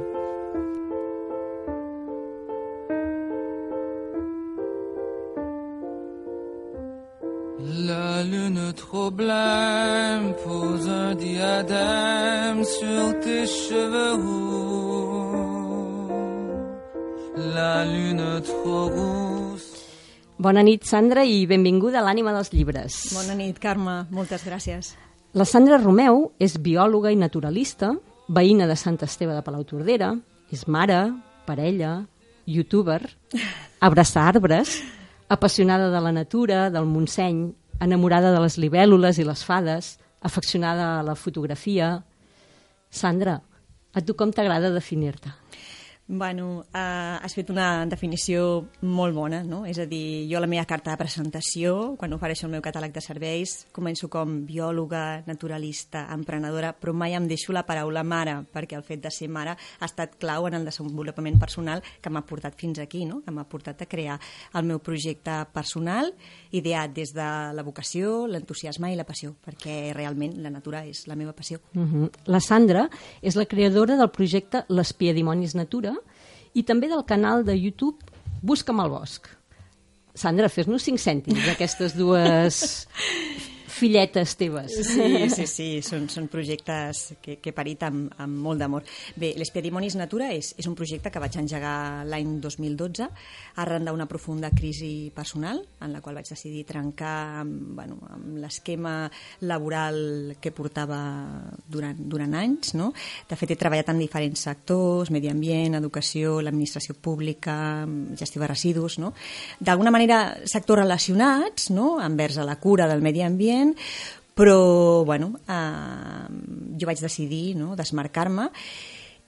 La lune trop blême pose un diadème sur tes cheveux roux. La lune trop rousse. Bona nit, Sandra, i benvinguda a l'Ànima dels llibres. Bona nit, Carme. Moltes gràcies. La Sandra Romeu és biòloga i naturalista, veïna de Sant Esteve de Palautordera, és mare, parella, youtuber, abraça arbres, apassionada de la natura, del Montseny, enamorada de les libèl·lules i les fades, afeccionada a la fotografia. Sandra, a tu com t'agrada definir-te? Bueno, has fet una definició molt bona, no? És a dir, jo la meva carta de presentació, quan ofereixo el meu catàleg de serveis, començo com biòloga, naturalista, emprenedora, però mai em deixo la paraula mare, perquè el fet de ser mare ha estat clau en el desenvolupament personal que m'ha portat fins aquí, no? Que m'ha portat a crear el meu projecte personal, ideat des de la vocació, l'entusiasme i la passió, perquè realment la natura és la meva passió. La Sandra és la creadora del projecte L'Espiadimonis Natura i també del canal de YouTube Busca'm al bosc. Sandra, fes-nos 5 cèntims d'aquestes dues filletes teves. Sí, són projectes que he parit amb molt d'amor. Bé, l'Espiadimonis Natura és un projecte que vaig engegar l'any 2012 arran d'una profunda crisi personal en la qual vaig decidir trencar amb l'esquema laboral que portava durant anys, no? De fet, he treballat en diferents sectors, medi ambient, educació, l'administració pública, gestió de residus, no? D'alguna manera, sectors relacionats, no? Envers a la cura del medi ambient, però jo vaig decidir, no, desmarcar-me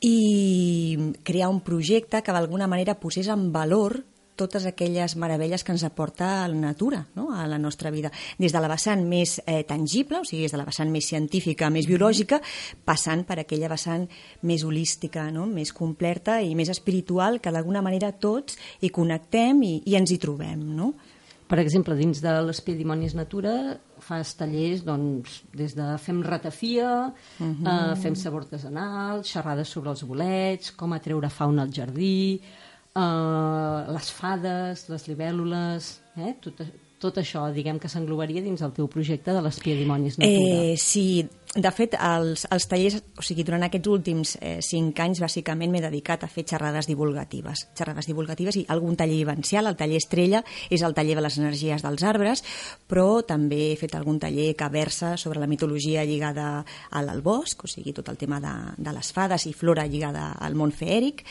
i crear un projecte que d'alguna manera posés en valor totes aquelles meravelles que ens aporta la natura, no, a la nostra vida, des de la vessant més tangible, o sigui, des de la vessant més científica, més biològica, passant per aquella vessant més holística, no, més completa i més espiritual, que d'alguna manera tots hi connectem i ens hi trobem, no? Per exemple, dins de l'Espiadimonis Natura fas tallers, doncs, des de fem ratafia, fem sabor artesanal, xerrades sobre els bolets, com atreure fauna al jardí, les fades, les libèl·lules, tot això, diguem que s'englobaria dins el teu projecte de l'Espiadimonis Natura. Sí, de fet, els tallers, o sigui, durant aquests últims 5 anys, bàsicament m'he dedicat a fer xerrades divulgatives i algun taller vivencial. El taller estrella és el taller de les energies dels arbres, però també he fet algun taller que versa sobre la mitologia lligada al bosc, o sigui, tot el tema de les fades i flora lligada al món feèric.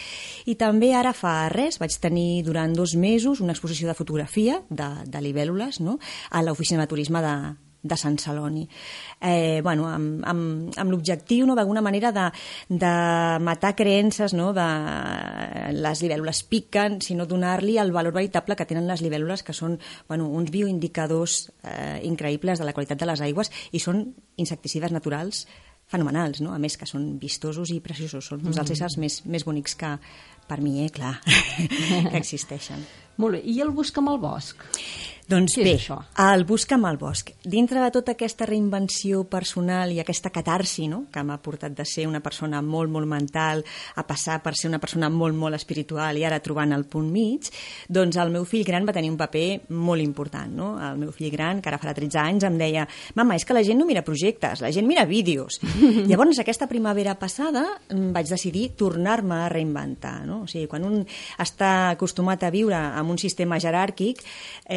I també ara fa res vaig tenir durant 2 mesos una exposició de fotografia de libèl·lules, no?, a l'oficina de turisme de Sant Celoni. Amb l'objectiu, no, d'alguna manera de matar creences, no, de les libèl·lules piquen, sinó donar-li el valor veritable que tenen les libèl·lules, que són uns bioindicadors increïbles de la qualitat de les aigües i són insecticides naturals fenomenals, no? A més que són vistosos i preciosos, són uns dels éssers més bonics que, per mi, clar, que existeixen. Molt bé, i el Busca'm al bosc? Doncs bé, el Busca'm al bosc. Dintre de tota aquesta reinvenció personal i aquesta catarsi, no?, que m'ha portat de ser una persona molt, molt mental a passar per ser una persona molt, molt espiritual i ara trobant el punt mig, doncs el meu fill gran va tenir un paper molt important, no? El meu fill gran, que ara farà 13 anys, em deia: mama, és que la gent no mira projectes, la gent mira vídeos. Llavors, aquesta primavera passada vaig decidir tornar-me a reinventar, no? no? O sigui, quan un està acostumat a viure en un sistema jeràrquic,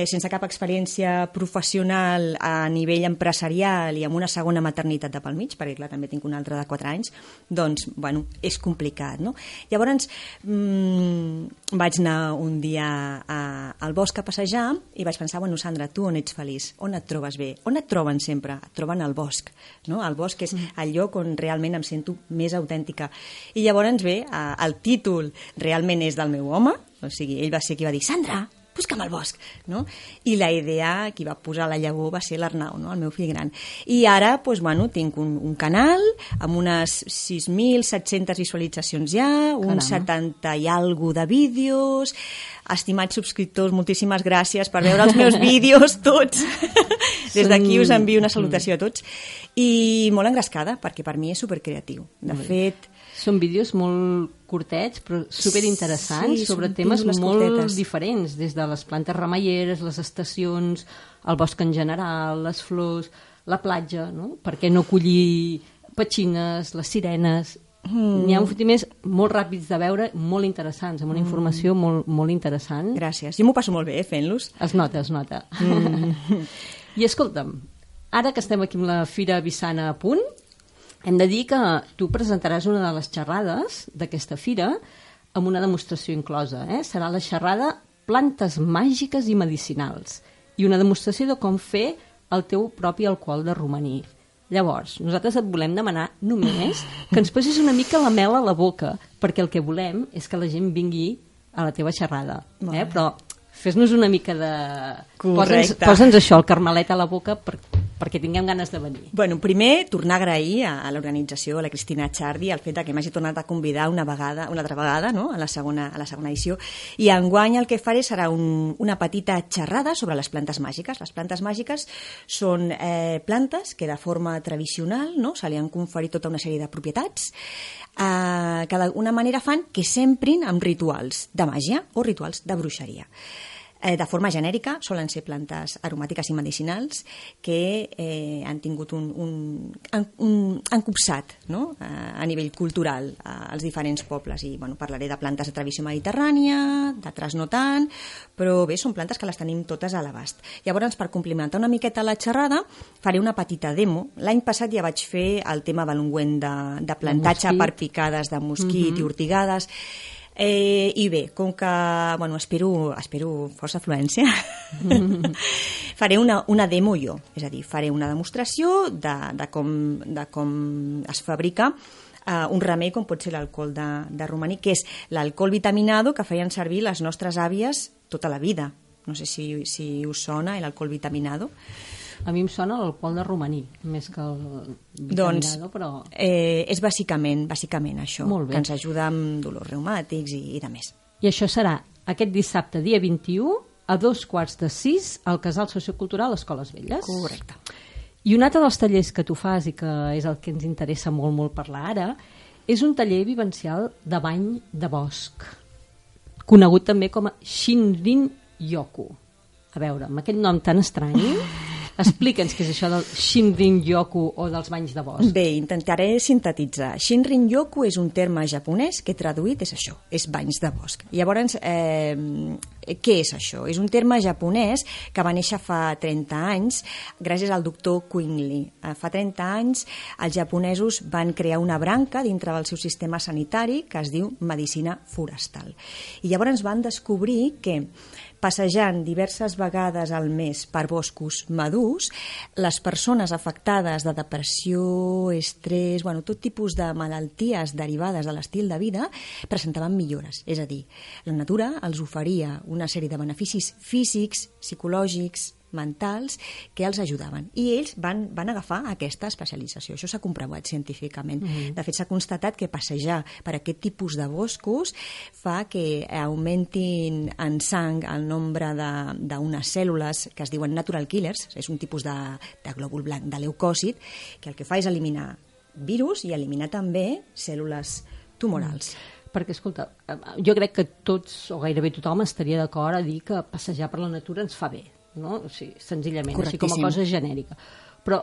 sense cap experiència professional a nivell empresarial i amb una segona maternitat de pel mig, perquè clar, també tinc una altra de 4 anys, doncs, bueno, és complicat, no? Llavors, vaig anar un dia al bosc a passejar i vaig pensar, bueno, Sandra, tu on ets feliç? On et trobes bé? On et troben sempre? Et troben al bosc, no? El bosc és el lloc on realment em sento més autèntica. I llavors bé, el títol realment és del meu home, o sigui, ell va ser qui va dir, Sandra, busca'm al bosc, no? I la idea, qui va posar la llavor va ser l'Arnau, no? El meu fill gran. I ara, doncs, bueno, tinc un canal amb unes 6.700 visualitzacions ja, uns 70 i algo de vídeos. Estimats subscriptors, moltíssimes gràcies per veure els meus vídeos, tots. Des d'aquí us envio una salutació a tots. I molt engrescada, perquè per mi és supercreatiu. De fet... Són vídeos molt curtets, però superinteressants, sí, sobre temes molt curtetes. diferents, des de les plantes remeieres, les estacions, el bosc en general, les flors, la platja, no? Per què no collir petxines, les sirenes... N'hi ha uns més molt ràpids de veure, molt interessants, amb una informació molt interessant. Gràcies. Jo m'ho passo molt bé fent-los. Es nota. I escolta'm, ara que estem aquí amb la Fira Vissana a punt, hem de dir que tu presentaràs una de les xerrades d'aquesta fira amb una demostració inclosa. Serà la xerrada Plantes màgiques i medicinals i una demostració de com fer el teu propi alcohol de romaní. Llavors, nosaltres et volem demanar només que ens posis una mica la mel a la boca, perquè el que volem és que la gent vingui a la teva xerrada. Però fes-nos una mica de... Posa'ns això, el carmelet a la boca, perquè tinguem ganes de venir. Bueno, primer, tornar a agrair a l'organització, a la Cristina Chardi, el fet que m'hagi tornat a convidar una altra vegada, no? a la segona edició. I enguany el que faré serà una petita xerrada sobre les plantes màgiques. Les plantes màgiques són plantes que de forma tradicional, no? Se li han conferit tota una sèrie de propietats que d'alguna manera fan que s'emprin amb rituals de màgia o rituals de bruixeria. De forma genèrica, solen ser plantes aromàtiques i medicinals que han tingut han copsat, no? A nivell cultural als diferents pobles. I parlaré de plantes de tradició mediterrània, d'altres no tant, però bé, són plantes que les tenim totes a l'abast. Llavors, per complementar una miqueta la xerrada, faré una petita demo. L'any passat ja vaig fer el tema de l'ungüent de plantatge per picades de mosquit i ortigades. I bé, com que espero força afluència, faré una demo jo, és a dir, faré una demostració de com es fabrica un remei com pot ser l'alcohol de romaní, que és l'alcohol vitaminado que feien servir les nostres àvies tota la vida. No sé si us sona l'alcohol vitaminado. A mi em sona l'alcohol de romaní, més que el vitaminado, però... és bàsicament això, que ens ajuda amb dolors reumàtics i de més. I això serà aquest dissabte, dia 21, a 5:45, al Casal Sociocultural Escoles Velles. Correcte. I un altre dels tallers que tu fas i que és el que ens interessa molt parlar ara, és un taller vivencial de bany de bosc, conegut també com a Shinrin-yoku. A veure, amb aquest nom tan estrany... Explica'ns què és això del Shinrin-yoku o dels banys de bosc. Bé, intentaré sintetitzar. Shinrin-yoku és un terme japonès que traduït és això, és banys de bosc. Llavors, què és això? És un terme japonès que va néixer fa 30 anys gràcies al doctor Qing Li. Fa 30 anys els japonesos van crear una branca dintre del seu sistema sanitari que es diu medicina forestal. I llavors van descobrir que passejant diverses vegades al mes per boscos madurs, les persones afectades de depressió, estrès, tot tipus de malalties derivades de l'estil de vida presentaven millores. És a dir, la natura els oferia una sèrie de beneficis físics, psicològics, mentals, que els ajudaven. I ells van agafar aquesta especialització. Això s'ha comprovat científicament. De fet, s'ha constatat que passejar per aquest tipus de boscos fa que augmentin en sang el nombre d'unes cèl·lules que es diuen natural killers, és un tipus de glòbul blanc, de leucòcit, que el que fa és eliminar virus i eliminar també cèl·lules tumorals. Perquè, escolta, jo crec que tots, o gairebé tothom, estaria d'acord a dir que passejar per la natura ens fa bé, no? O sigui, senzillament, així com a cosa genèrica. Però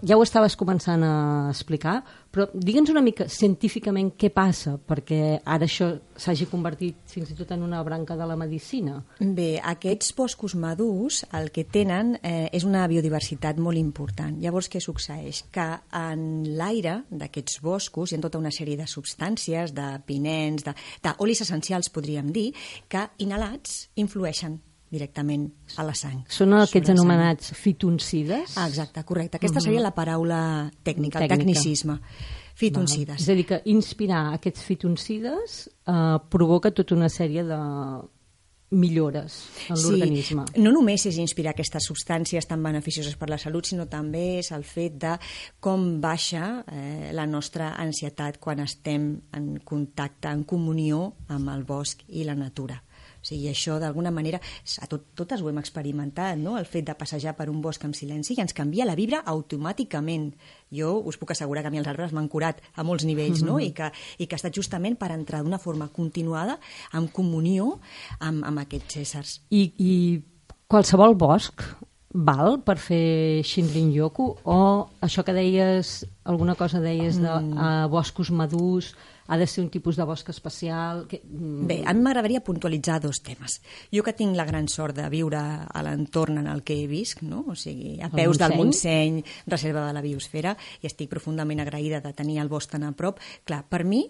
ja ho estaves començant a explicar, però digue'ns una mica científicament què passa perquè ara això s'hagi convertit fins i tot en una branca de la medicina. Bé, aquests boscos madurs el que tenen és una biodiversitat molt important. Llavors, què succeeix? Que en l'aire d'aquests boscos hi ha tota una sèrie de substàncies, de pinens, d'olis essencials, podríem dir, que inhalats influeixen directament a la sang. Són aquests anomenats fitoncides? Exacte, correcte. Aquesta seria la paraula tècnica, el tecnicisme. Fitoncides. És a dir, que inspirar aquests fitoncides provoca tota una sèrie de millores en l'organisme. No només és inspirar aquestes substàncies tan beneficioses per la salut, sinó també és el fet de com baixa la nostra ansietat quan estem en contacte, en comunió amb el bosc i la natura. O sigui, això, d'alguna manera, totes ho hem experimentat, no? El fet de passejar per un bosc amb silenci ens canvia la vibra automàticament. Jo us puc assegurar que a mi els arbres m'han curat a molts nivells, no? I que ha estat justament per entrar d'una forma continuada, en comunió amb aquests éssers. I qualsevol bosc val per fer Shinrin-yoku? O això que deies, alguna cosa deies de boscos madurs, ha de ser un tipus de bosc especial? Bé, a mi m'agradaria puntualitzar dos temes. Jo que tinc la gran sort de viure a l'entorn en el que visc, no? O sigui, a peus del Montseny, reserva de la biosfera, i estic profundament agraïda de tenir el bosc tan a prop. Clar, per mi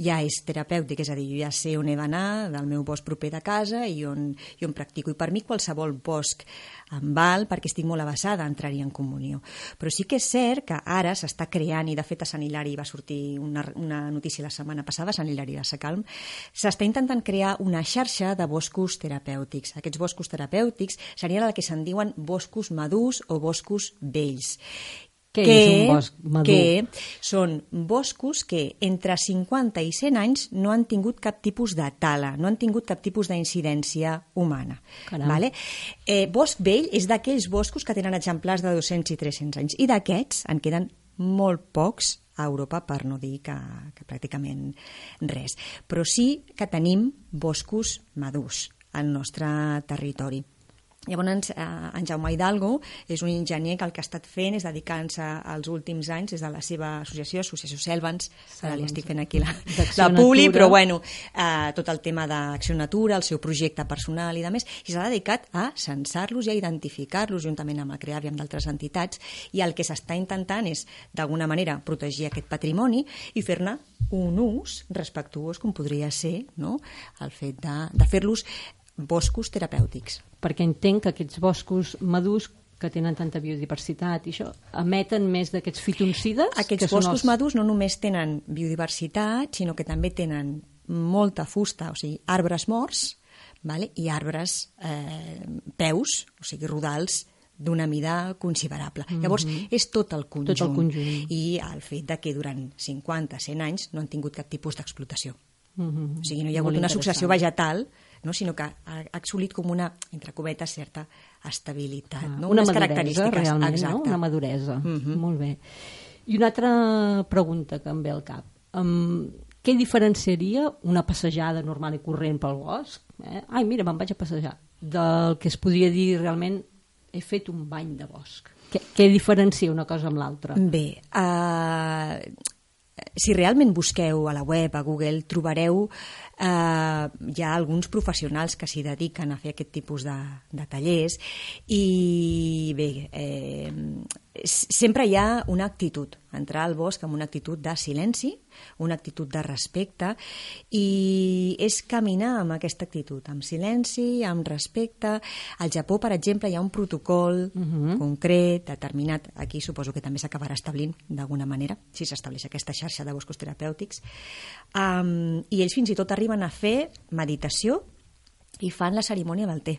ja és terapèutic, és a dir, jo ja sé on he d'anar del meu bosc proper de casa i on practico. I per mi qualsevol bosc em val perquè estic molt avasada a entrar-hi en comunió. Però sí que és cert que ara s'està creant, i de fet a Sant Hilari va sortir una notícia la setmana passada, Sant Hilari de Sacalm, s'està intentant crear una xarxa de boscos terapèutics. Aquests boscos terapèutics serien el que se'n diuen boscos madurs o boscos vells. Què és un bosc madur? Que són boscos que entre 50 i 100 anys no han tingut cap tipus de tala, no han tingut cap tipus d'incidència humana. Vale? Bosc vell és d'aquells boscos que tenen exemplars de 200 i 300 anys, i d'aquests en queden molt pocs a Europa, per no dir que pràcticament res. Però sí que tenim boscos madurs al nostre territori. Llavors, en Jaume Hidalgo és un enginyer que el que ha estat fent és dedicar-se als últims anys des de la seva associació Selvans, ara li estic fent aquí la publi, però bueno, tot el tema d'Acció Natura, el seu projecte personal i demés, i s'ha dedicat a censar-los i a identificar-los juntament amb el CREAV i amb d'altres entitats, i el que s'està intentant és, d'alguna manera, protegir aquest patrimoni i fer-ne un ús respectuós, com podria ser, no?, el fet de fer-los boscos terapèutics. Perquè entenc que aquests boscos madurs que tenen tanta biodiversitat i això, emeten més d'aquests fitoncides? Aquests boscos madurs no només tenen biodiversitat, sinó que també tenen molta fusta, o sigui, arbres morts, vale? I arbres peus, o sigui, rodals, d'una mida considerable. Llavors, és tot el conjunt. Tot el conjunt. I el fet de que durant 50, 100 anys no han tingut cap tipus d'explotació. O sigui, no hi ha hagut una successió vegetal, no? Sinó que ha assolit com una, entre cometes, certa estabilitat. No? Una maduresa, realment, no? Una maduresa. Molt bé. I una altra pregunta que em ve al cap. Què diferenciaria una passejada normal i corrent pel bosc? Ai, mira, me'n vaig a passejar. Del que es podria dir realment he fet un bany de bosc. Què diferencia una cosa amb l'altra? Bé, si realment busqueu a la web, a Google, trobareu hi ha alguns professionals que s'hi dediquen a fer aquest tipus de tallers, i bé, sempre hi ha una actitud, entrar al bosc amb una actitud de silenci, una actitud de respecte, i és caminar amb aquesta actitud, amb silenci, amb respecte. Al Japó, per exemple, hi ha un protocol concret, determinat, aquí suposo que també s'acabarà establint d'alguna manera, si s'estableix aquesta xarxa de boscos terapèutics, i ells fins i tot arriben a fer meditació i fan la cerimònia del te.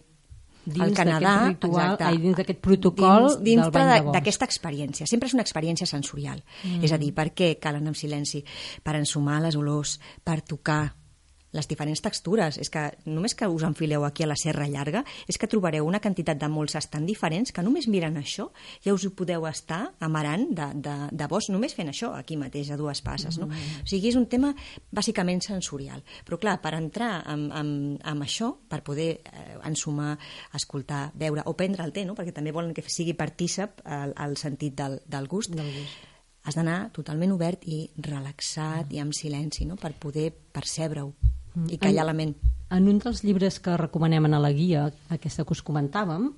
Dins d'aquest ritual, dins d'aquest protocol del bany de bosc. D'aquesta experiència. Sempre és una experiència sensorial. És a dir, per què cal anar en silenci? Per ensumar les olors, per tocar les diferents textures. És que només que us enfileu aquí a la Serra Llarga és que trobareu una quantitat de molses tan diferents que només mirant això ja us ho podeu estar amarant de bosc, només fent això aquí mateix a dues passes. No? O sigui, és un tema bàsicament sensorial. Però clar, per entrar amb això, per poder ensumar, escoltar, veure o prendre el té, no? Perquè també volen que sigui partícip el sentit del gust, has d'anar totalment obert i relaxat i amb silenci, no? Per poder percebre-ho i callar la ment. En un dels llibres que recomanem a la guia, aquesta que us comentàvem,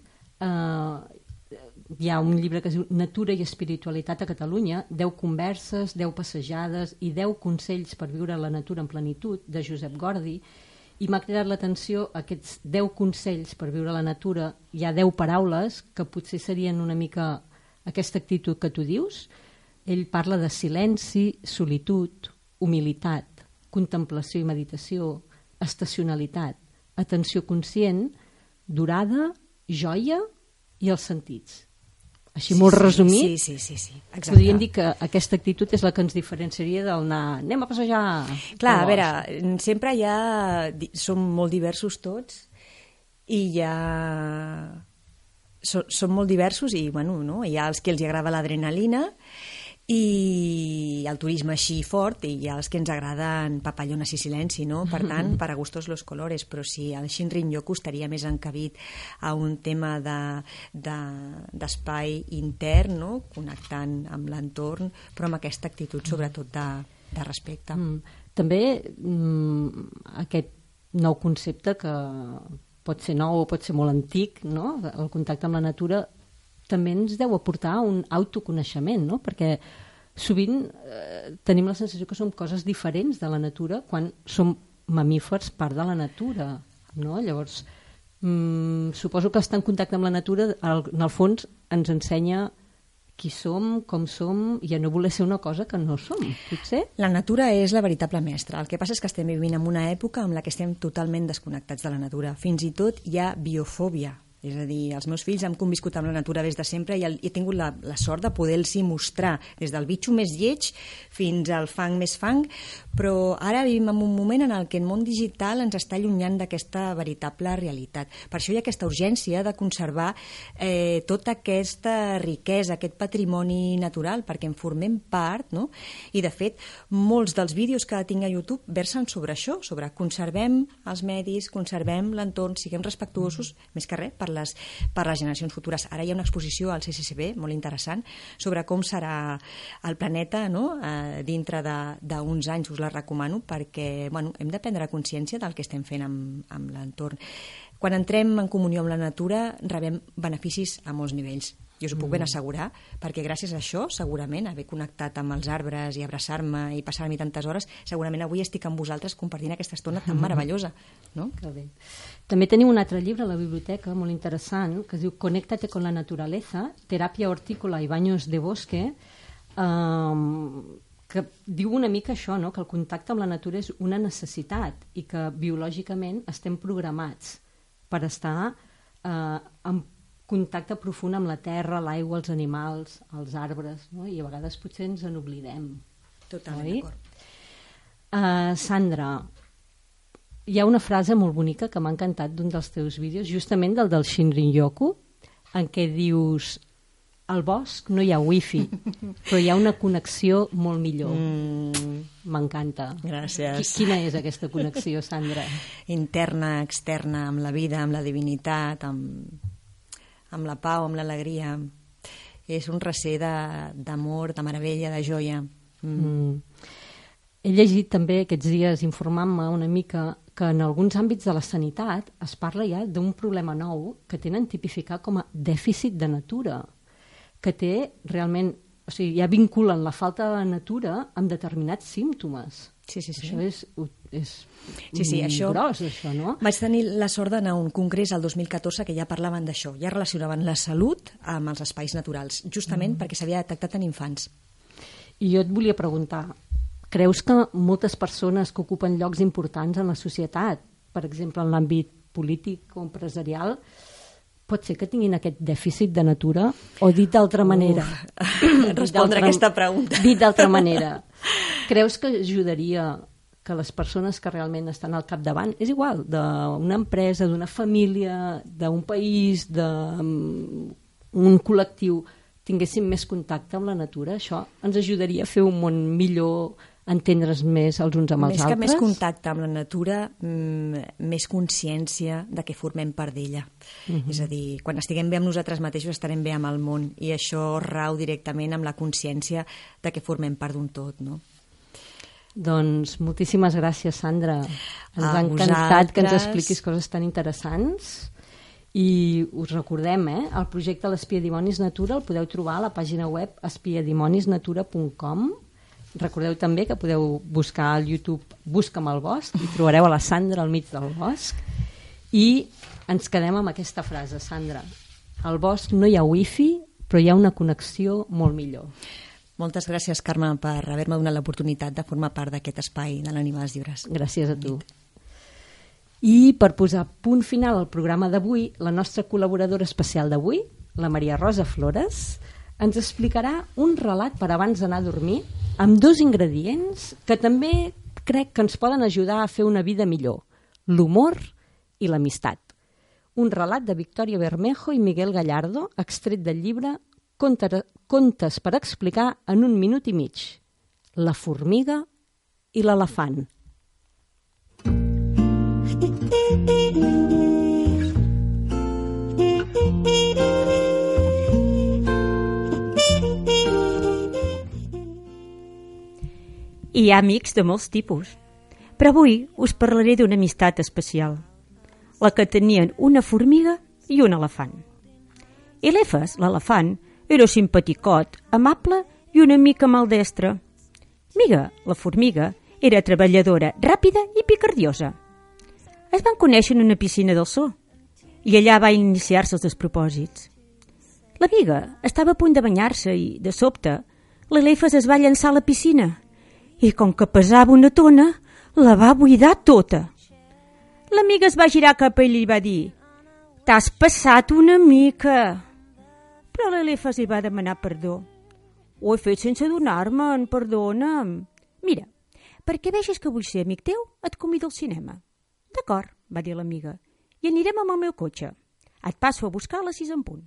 hi ha un llibre que es diu Natura i espiritualitat a Catalunya, 10 converses, 10 passejades i 10 consells per viure la natura en plenitud, de Josep Gordi, i m'ha cridat l'atenció aquests 10 consells per viure la natura. Hi ha 10 paraules que potser serien una mica aquesta actitud que tu dius. Ell parla de silenci, solitud, humilitat, contemplació i meditació, estacionalitat, atenció conscient, durada, joia i els sentits. Així molt resumit, sí. Exacte. Podríem dir que aquesta actitud és la que ens diferenciaria del anar, anem a passejar. Clar, a veure, sempre som molt diversos tots i són molt diversos i bueno, no? Hi ha els que els agrada l'adrenalina i el turisme així fort, i hi ha els que ens agraden papallones i silenci, no? Per tant, para gustos los colores, però si el Shinrin-yoku estaria més encabit a un tema d'espai intern, no? Connectant amb l'entorn, però amb aquesta actitud sobretot de respecte. També aquest nou concepte que pot ser nou o pot ser molt antic, no? El contacte amb la natura també ens deu aportar un autoconeixement, no? Perquè sovint tenim la sensació que som coses diferents de la natura quan som mamífers part de la natura, no? Llavors, suposo que estar en contacte amb la natura, en el fons, ens ensenya qui som, com som, i a no voler ser una cosa que no som, potser? La natura és la veritable mestra. El que passa és que estem vivint en una època en la que estem totalment desconnectats de la natura. Fins i tot hi ha biofòbia. És a dir, els meus fills han conviscut amb la natura des de sempre i he tingut la sort de poder-los mostrar des del bitxo més lleig fins al fang més fang, però ara vivim en un moment en el que el món digital ens està allunyant d'aquesta veritable realitat. Per això hi ha aquesta urgència de conservar tota aquesta riquesa, aquest patrimoni natural, perquè en formem part, no? I de fet, molts dels vídeos que tinc a YouTube versen sobre això, sobre conservem els medis, conservem l'entorn, siguem respectuosos, més que res, per les generacions futures. Ara hi ha una exposició al CCCB molt interessant sobre com serà el planeta, no? Dintre d'uns anys, us la recomano, perquè hem de prendre consciència del que estem fent amb l'entorn. Quan entrem en comunió amb la natura rebem beneficis a molts nivells. Jo us ho puc ben assegurar, perquè gràcies a això, segurament, haver connectat amb els arbres i abraçar-me i passar-m'hi tantes hores, segurament avui estic amb vosaltres compartint aquesta estona tan meravellosa. No? Que bé. També tenim un altre llibre a la biblioteca molt interessant que es diu Conéctate con la naturaleza, teràpia hortícola i baños de bosque, que diu una mica això, no? Que el contacte amb la natura és una necessitat i que biològicament estem programats per estar en contacte profund amb la terra, l'aigua, els animals, els arbres, no? I a vegades potser ens n'oblidem. Totalment d'acord. Sandra, hi ha una frase molt bonica que m'ha encantat d'un dels teus vídeos, justament del Shinrin-yoku, en què dius: al bosc no hi ha wifi, però hi ha una connexió molt millor. M'encanta. Gràcies. Quina és aquesta connexió, Sandra? Interna, externa, amb la vida, amb la divinitat, amb la pau, amb l'alegria. És un recer d'amor, de meravella, de joia. He llegit també aquests dies, informant-me una mica, que en alguns àmbits de la sanitat es parla ja d'un problema nou que tenen tipificat com a dèficit de natura, que té realment, o sigui, ja vinculen la falta de natura amb determinats símptomes. Sí. Això és això, gros, això, no? Vaig tenir la sort d'anar a un congrés al 2014 que ja parlaven d'això, ja relacionaven la salut amb els espais naturals, justament perquè s'havia detectat en infants. I jo et volia preguntar, creus que moltes persones que ocupen llocs importants en la societat, per exemple en l'àmbit polític o empresarial, pot ser que tinguin aquest dèficit de natura? O dit d'altra manera... Respondre aquesta pregunta. Dit d'altra manera, creus que ajudaria que les persones que realment estan al capdavant, és igual, d'una empresa, d'una família, d'un país, d'un col·lectiu, tinguéssim més contacte amb la natura, això ens ajudaria a fer un món millor, entendre's més els uns amb els altres. Més que més contacte amb la natura, més consciència de que formem part d'ella. És a dir, quan estiguem bé amb nosaltres mateixos estarem bé amb el món, i això rau directament amb la consciència de que formem part d'un tot, no? Doncs moltíssimes gràcies, Sandra. Ens ha encantat que ens expliquis coses tan interessants. I us recordem, el projecte l'Espia Dimonis Natura el podeu trobar a la pàgina web espiadimonisnatura.com. Recordeu també que podeu buscar al YouTube Busca'm al bosc i trobareu a la Sandra al mig del bosc. I ens quedem amb aquesta frase, Sandra. Al bosc no hi ha wifi, però hi ha una connexió molt millor. Moltes gràcies, Carme, per haver-me donat l'oportunitat de formar part d'aquest espai de l'Ànima dels Llibres. Gràcies a tu. I per posar punt final al programa d'avui, la nostra col·laboradora especial d'avui, la Maria Rosa Flores, ens explicarà un relat per abans d'anar a dormir amb 2 ingredients que també crec que ens poden ajudar a fer una vida millor: l'humor i l'amistat. Un relat de Victòria Bermejo i Miguel Gallardo, extret del llibre Contes per explicar en 1 minut i mig: La formiga i l'elefant. Hi ha amics de molts tipus, però avui us parlaré d'una amistat especial, la que tenien una formiga i un elefant. Elefas, l'elefant, era simpaticot, amable i una mica maldestre. Miga, la formiga, era treballadora, ràpida i picardiosa. Es van conèixer en una piscina del zoo i allà va iniciar-se els despropòsits. La Miga estava a punt de banyar-se i, de sobte, l'Elefas es va llançar a la piscina i, com que pesava una tona, la va buidar tota. L'amiga es va girar cap a ell i va dir: «T'has passat una mica». Però l'Elefas li va demanar perdó. «Ho he fet sense adonar-me'n, perdona'm». «Mira, perquè vegis que vull ser amic teu, et convido al cinema». «D'acord», va dir l'amiga, «i anirem amb el meu cotxe. Et passo a buscar a les 6 en punt».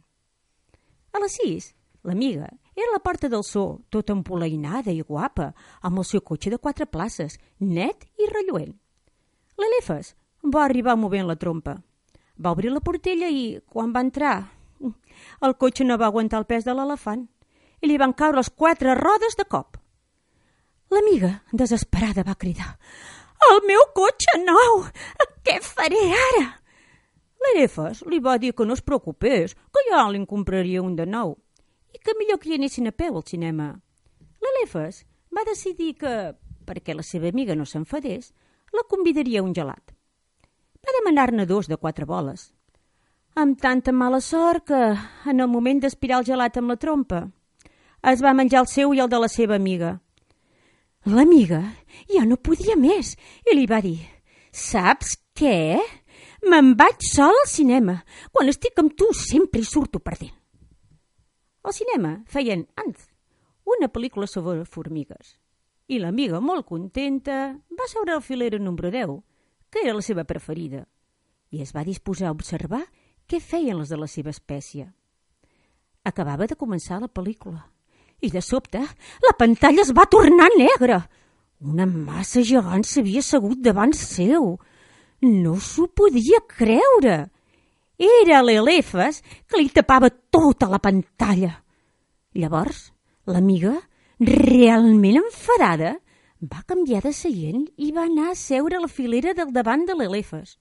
A les 6, l'amiga era a la porta del zoo, tota empolainada i guapa, amb el seu cotxe de 4 places, net i relluent. L'Elefas va arribar movent la trompa. Va obrir la portella i, quan va entrar, el cotxe no va aguantar el pes de l'elefant i li van caure les 4 rodes de cop. L'amiga, desesperada, va cridar: «El meu cotxe nou! Què faré ara?» L'Elefas li va dir que no es preocupés, que ja li'n compraria un de nou i que millor que hi anessin a peu al cinema. L'Elefas va decidir que, perquè la seva amiga no s'enfadés, la convidaria a un gelat. Va demanar-ne 2 de 4 boles. Amb tanta mala sort que, en el moment d'aspirar el gelat amb la trompa, es va menjar el seu i el de la seva amiga. L'amiga ja no podia més i li va dir: «Saps què? Me'n vaig sol al cinema. Quan estic amb tu sempre hi surto perdent». Al cinema feien Ants, una pel·lícula sobre formigues. I l'amiga, molt contenta, va seure al filera número 10, que era la seva preferida, i es va disposar a observar què feien les de la seva espècie. Acabava de començar la pel·lícula i, de sobte, la pantalla es va tornar negra. Una massa gegant s'havia assegut davant seu. No s'ho podia creure. Era l'Elefas que li tapava tota la pantalla. Llavors, l'amiga, realment enfadada, va canviar de seient i va anar a seure a la filera del davant de l'Elefas.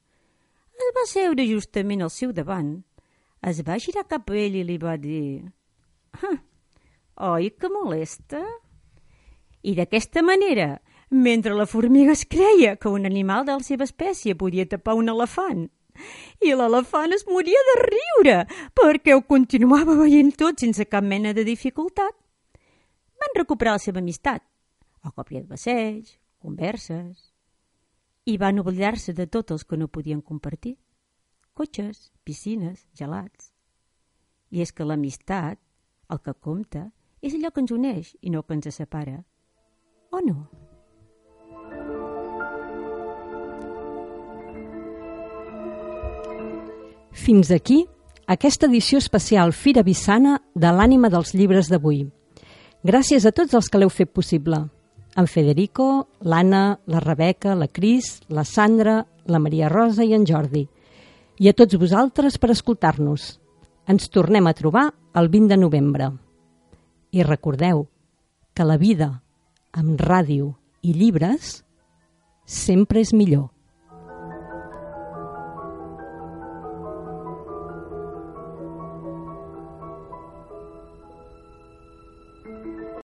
Es va seure justament al seu davant. Es va girar cap a ell i li va dir: «Oi que molesta?» I d'aquesta manera, mentre la formiga es creia que un animal de la seva espècie podia tapar un elefant, i l'elefant es moria de riure perquè ho continuava veient tot sense cap mena de dificultat, van recuperar la seva amistat, a còpia de passeig, converses, i van oblidar-se de tots els que no podien compartir: cotxes, piscines, gelats. I és que l'amistat, el que compta, és allò que ens uneix i no que ens separa. O no? Fins aquí aquesta edició especial Fira Vissana de l'ànima dels llibres d'avui. Gràcies a tots els que l'heu fet possible. En Federico, l'Anna, la Rebeca, la Cris, la Sandra, la Maria Rosa i en Jordi. I a tots vosaltres per escoltar-nos. Ens tornem a trobar el 20 de novembre. I recordeu que la vida amb ràdio i llibres sempre és millor.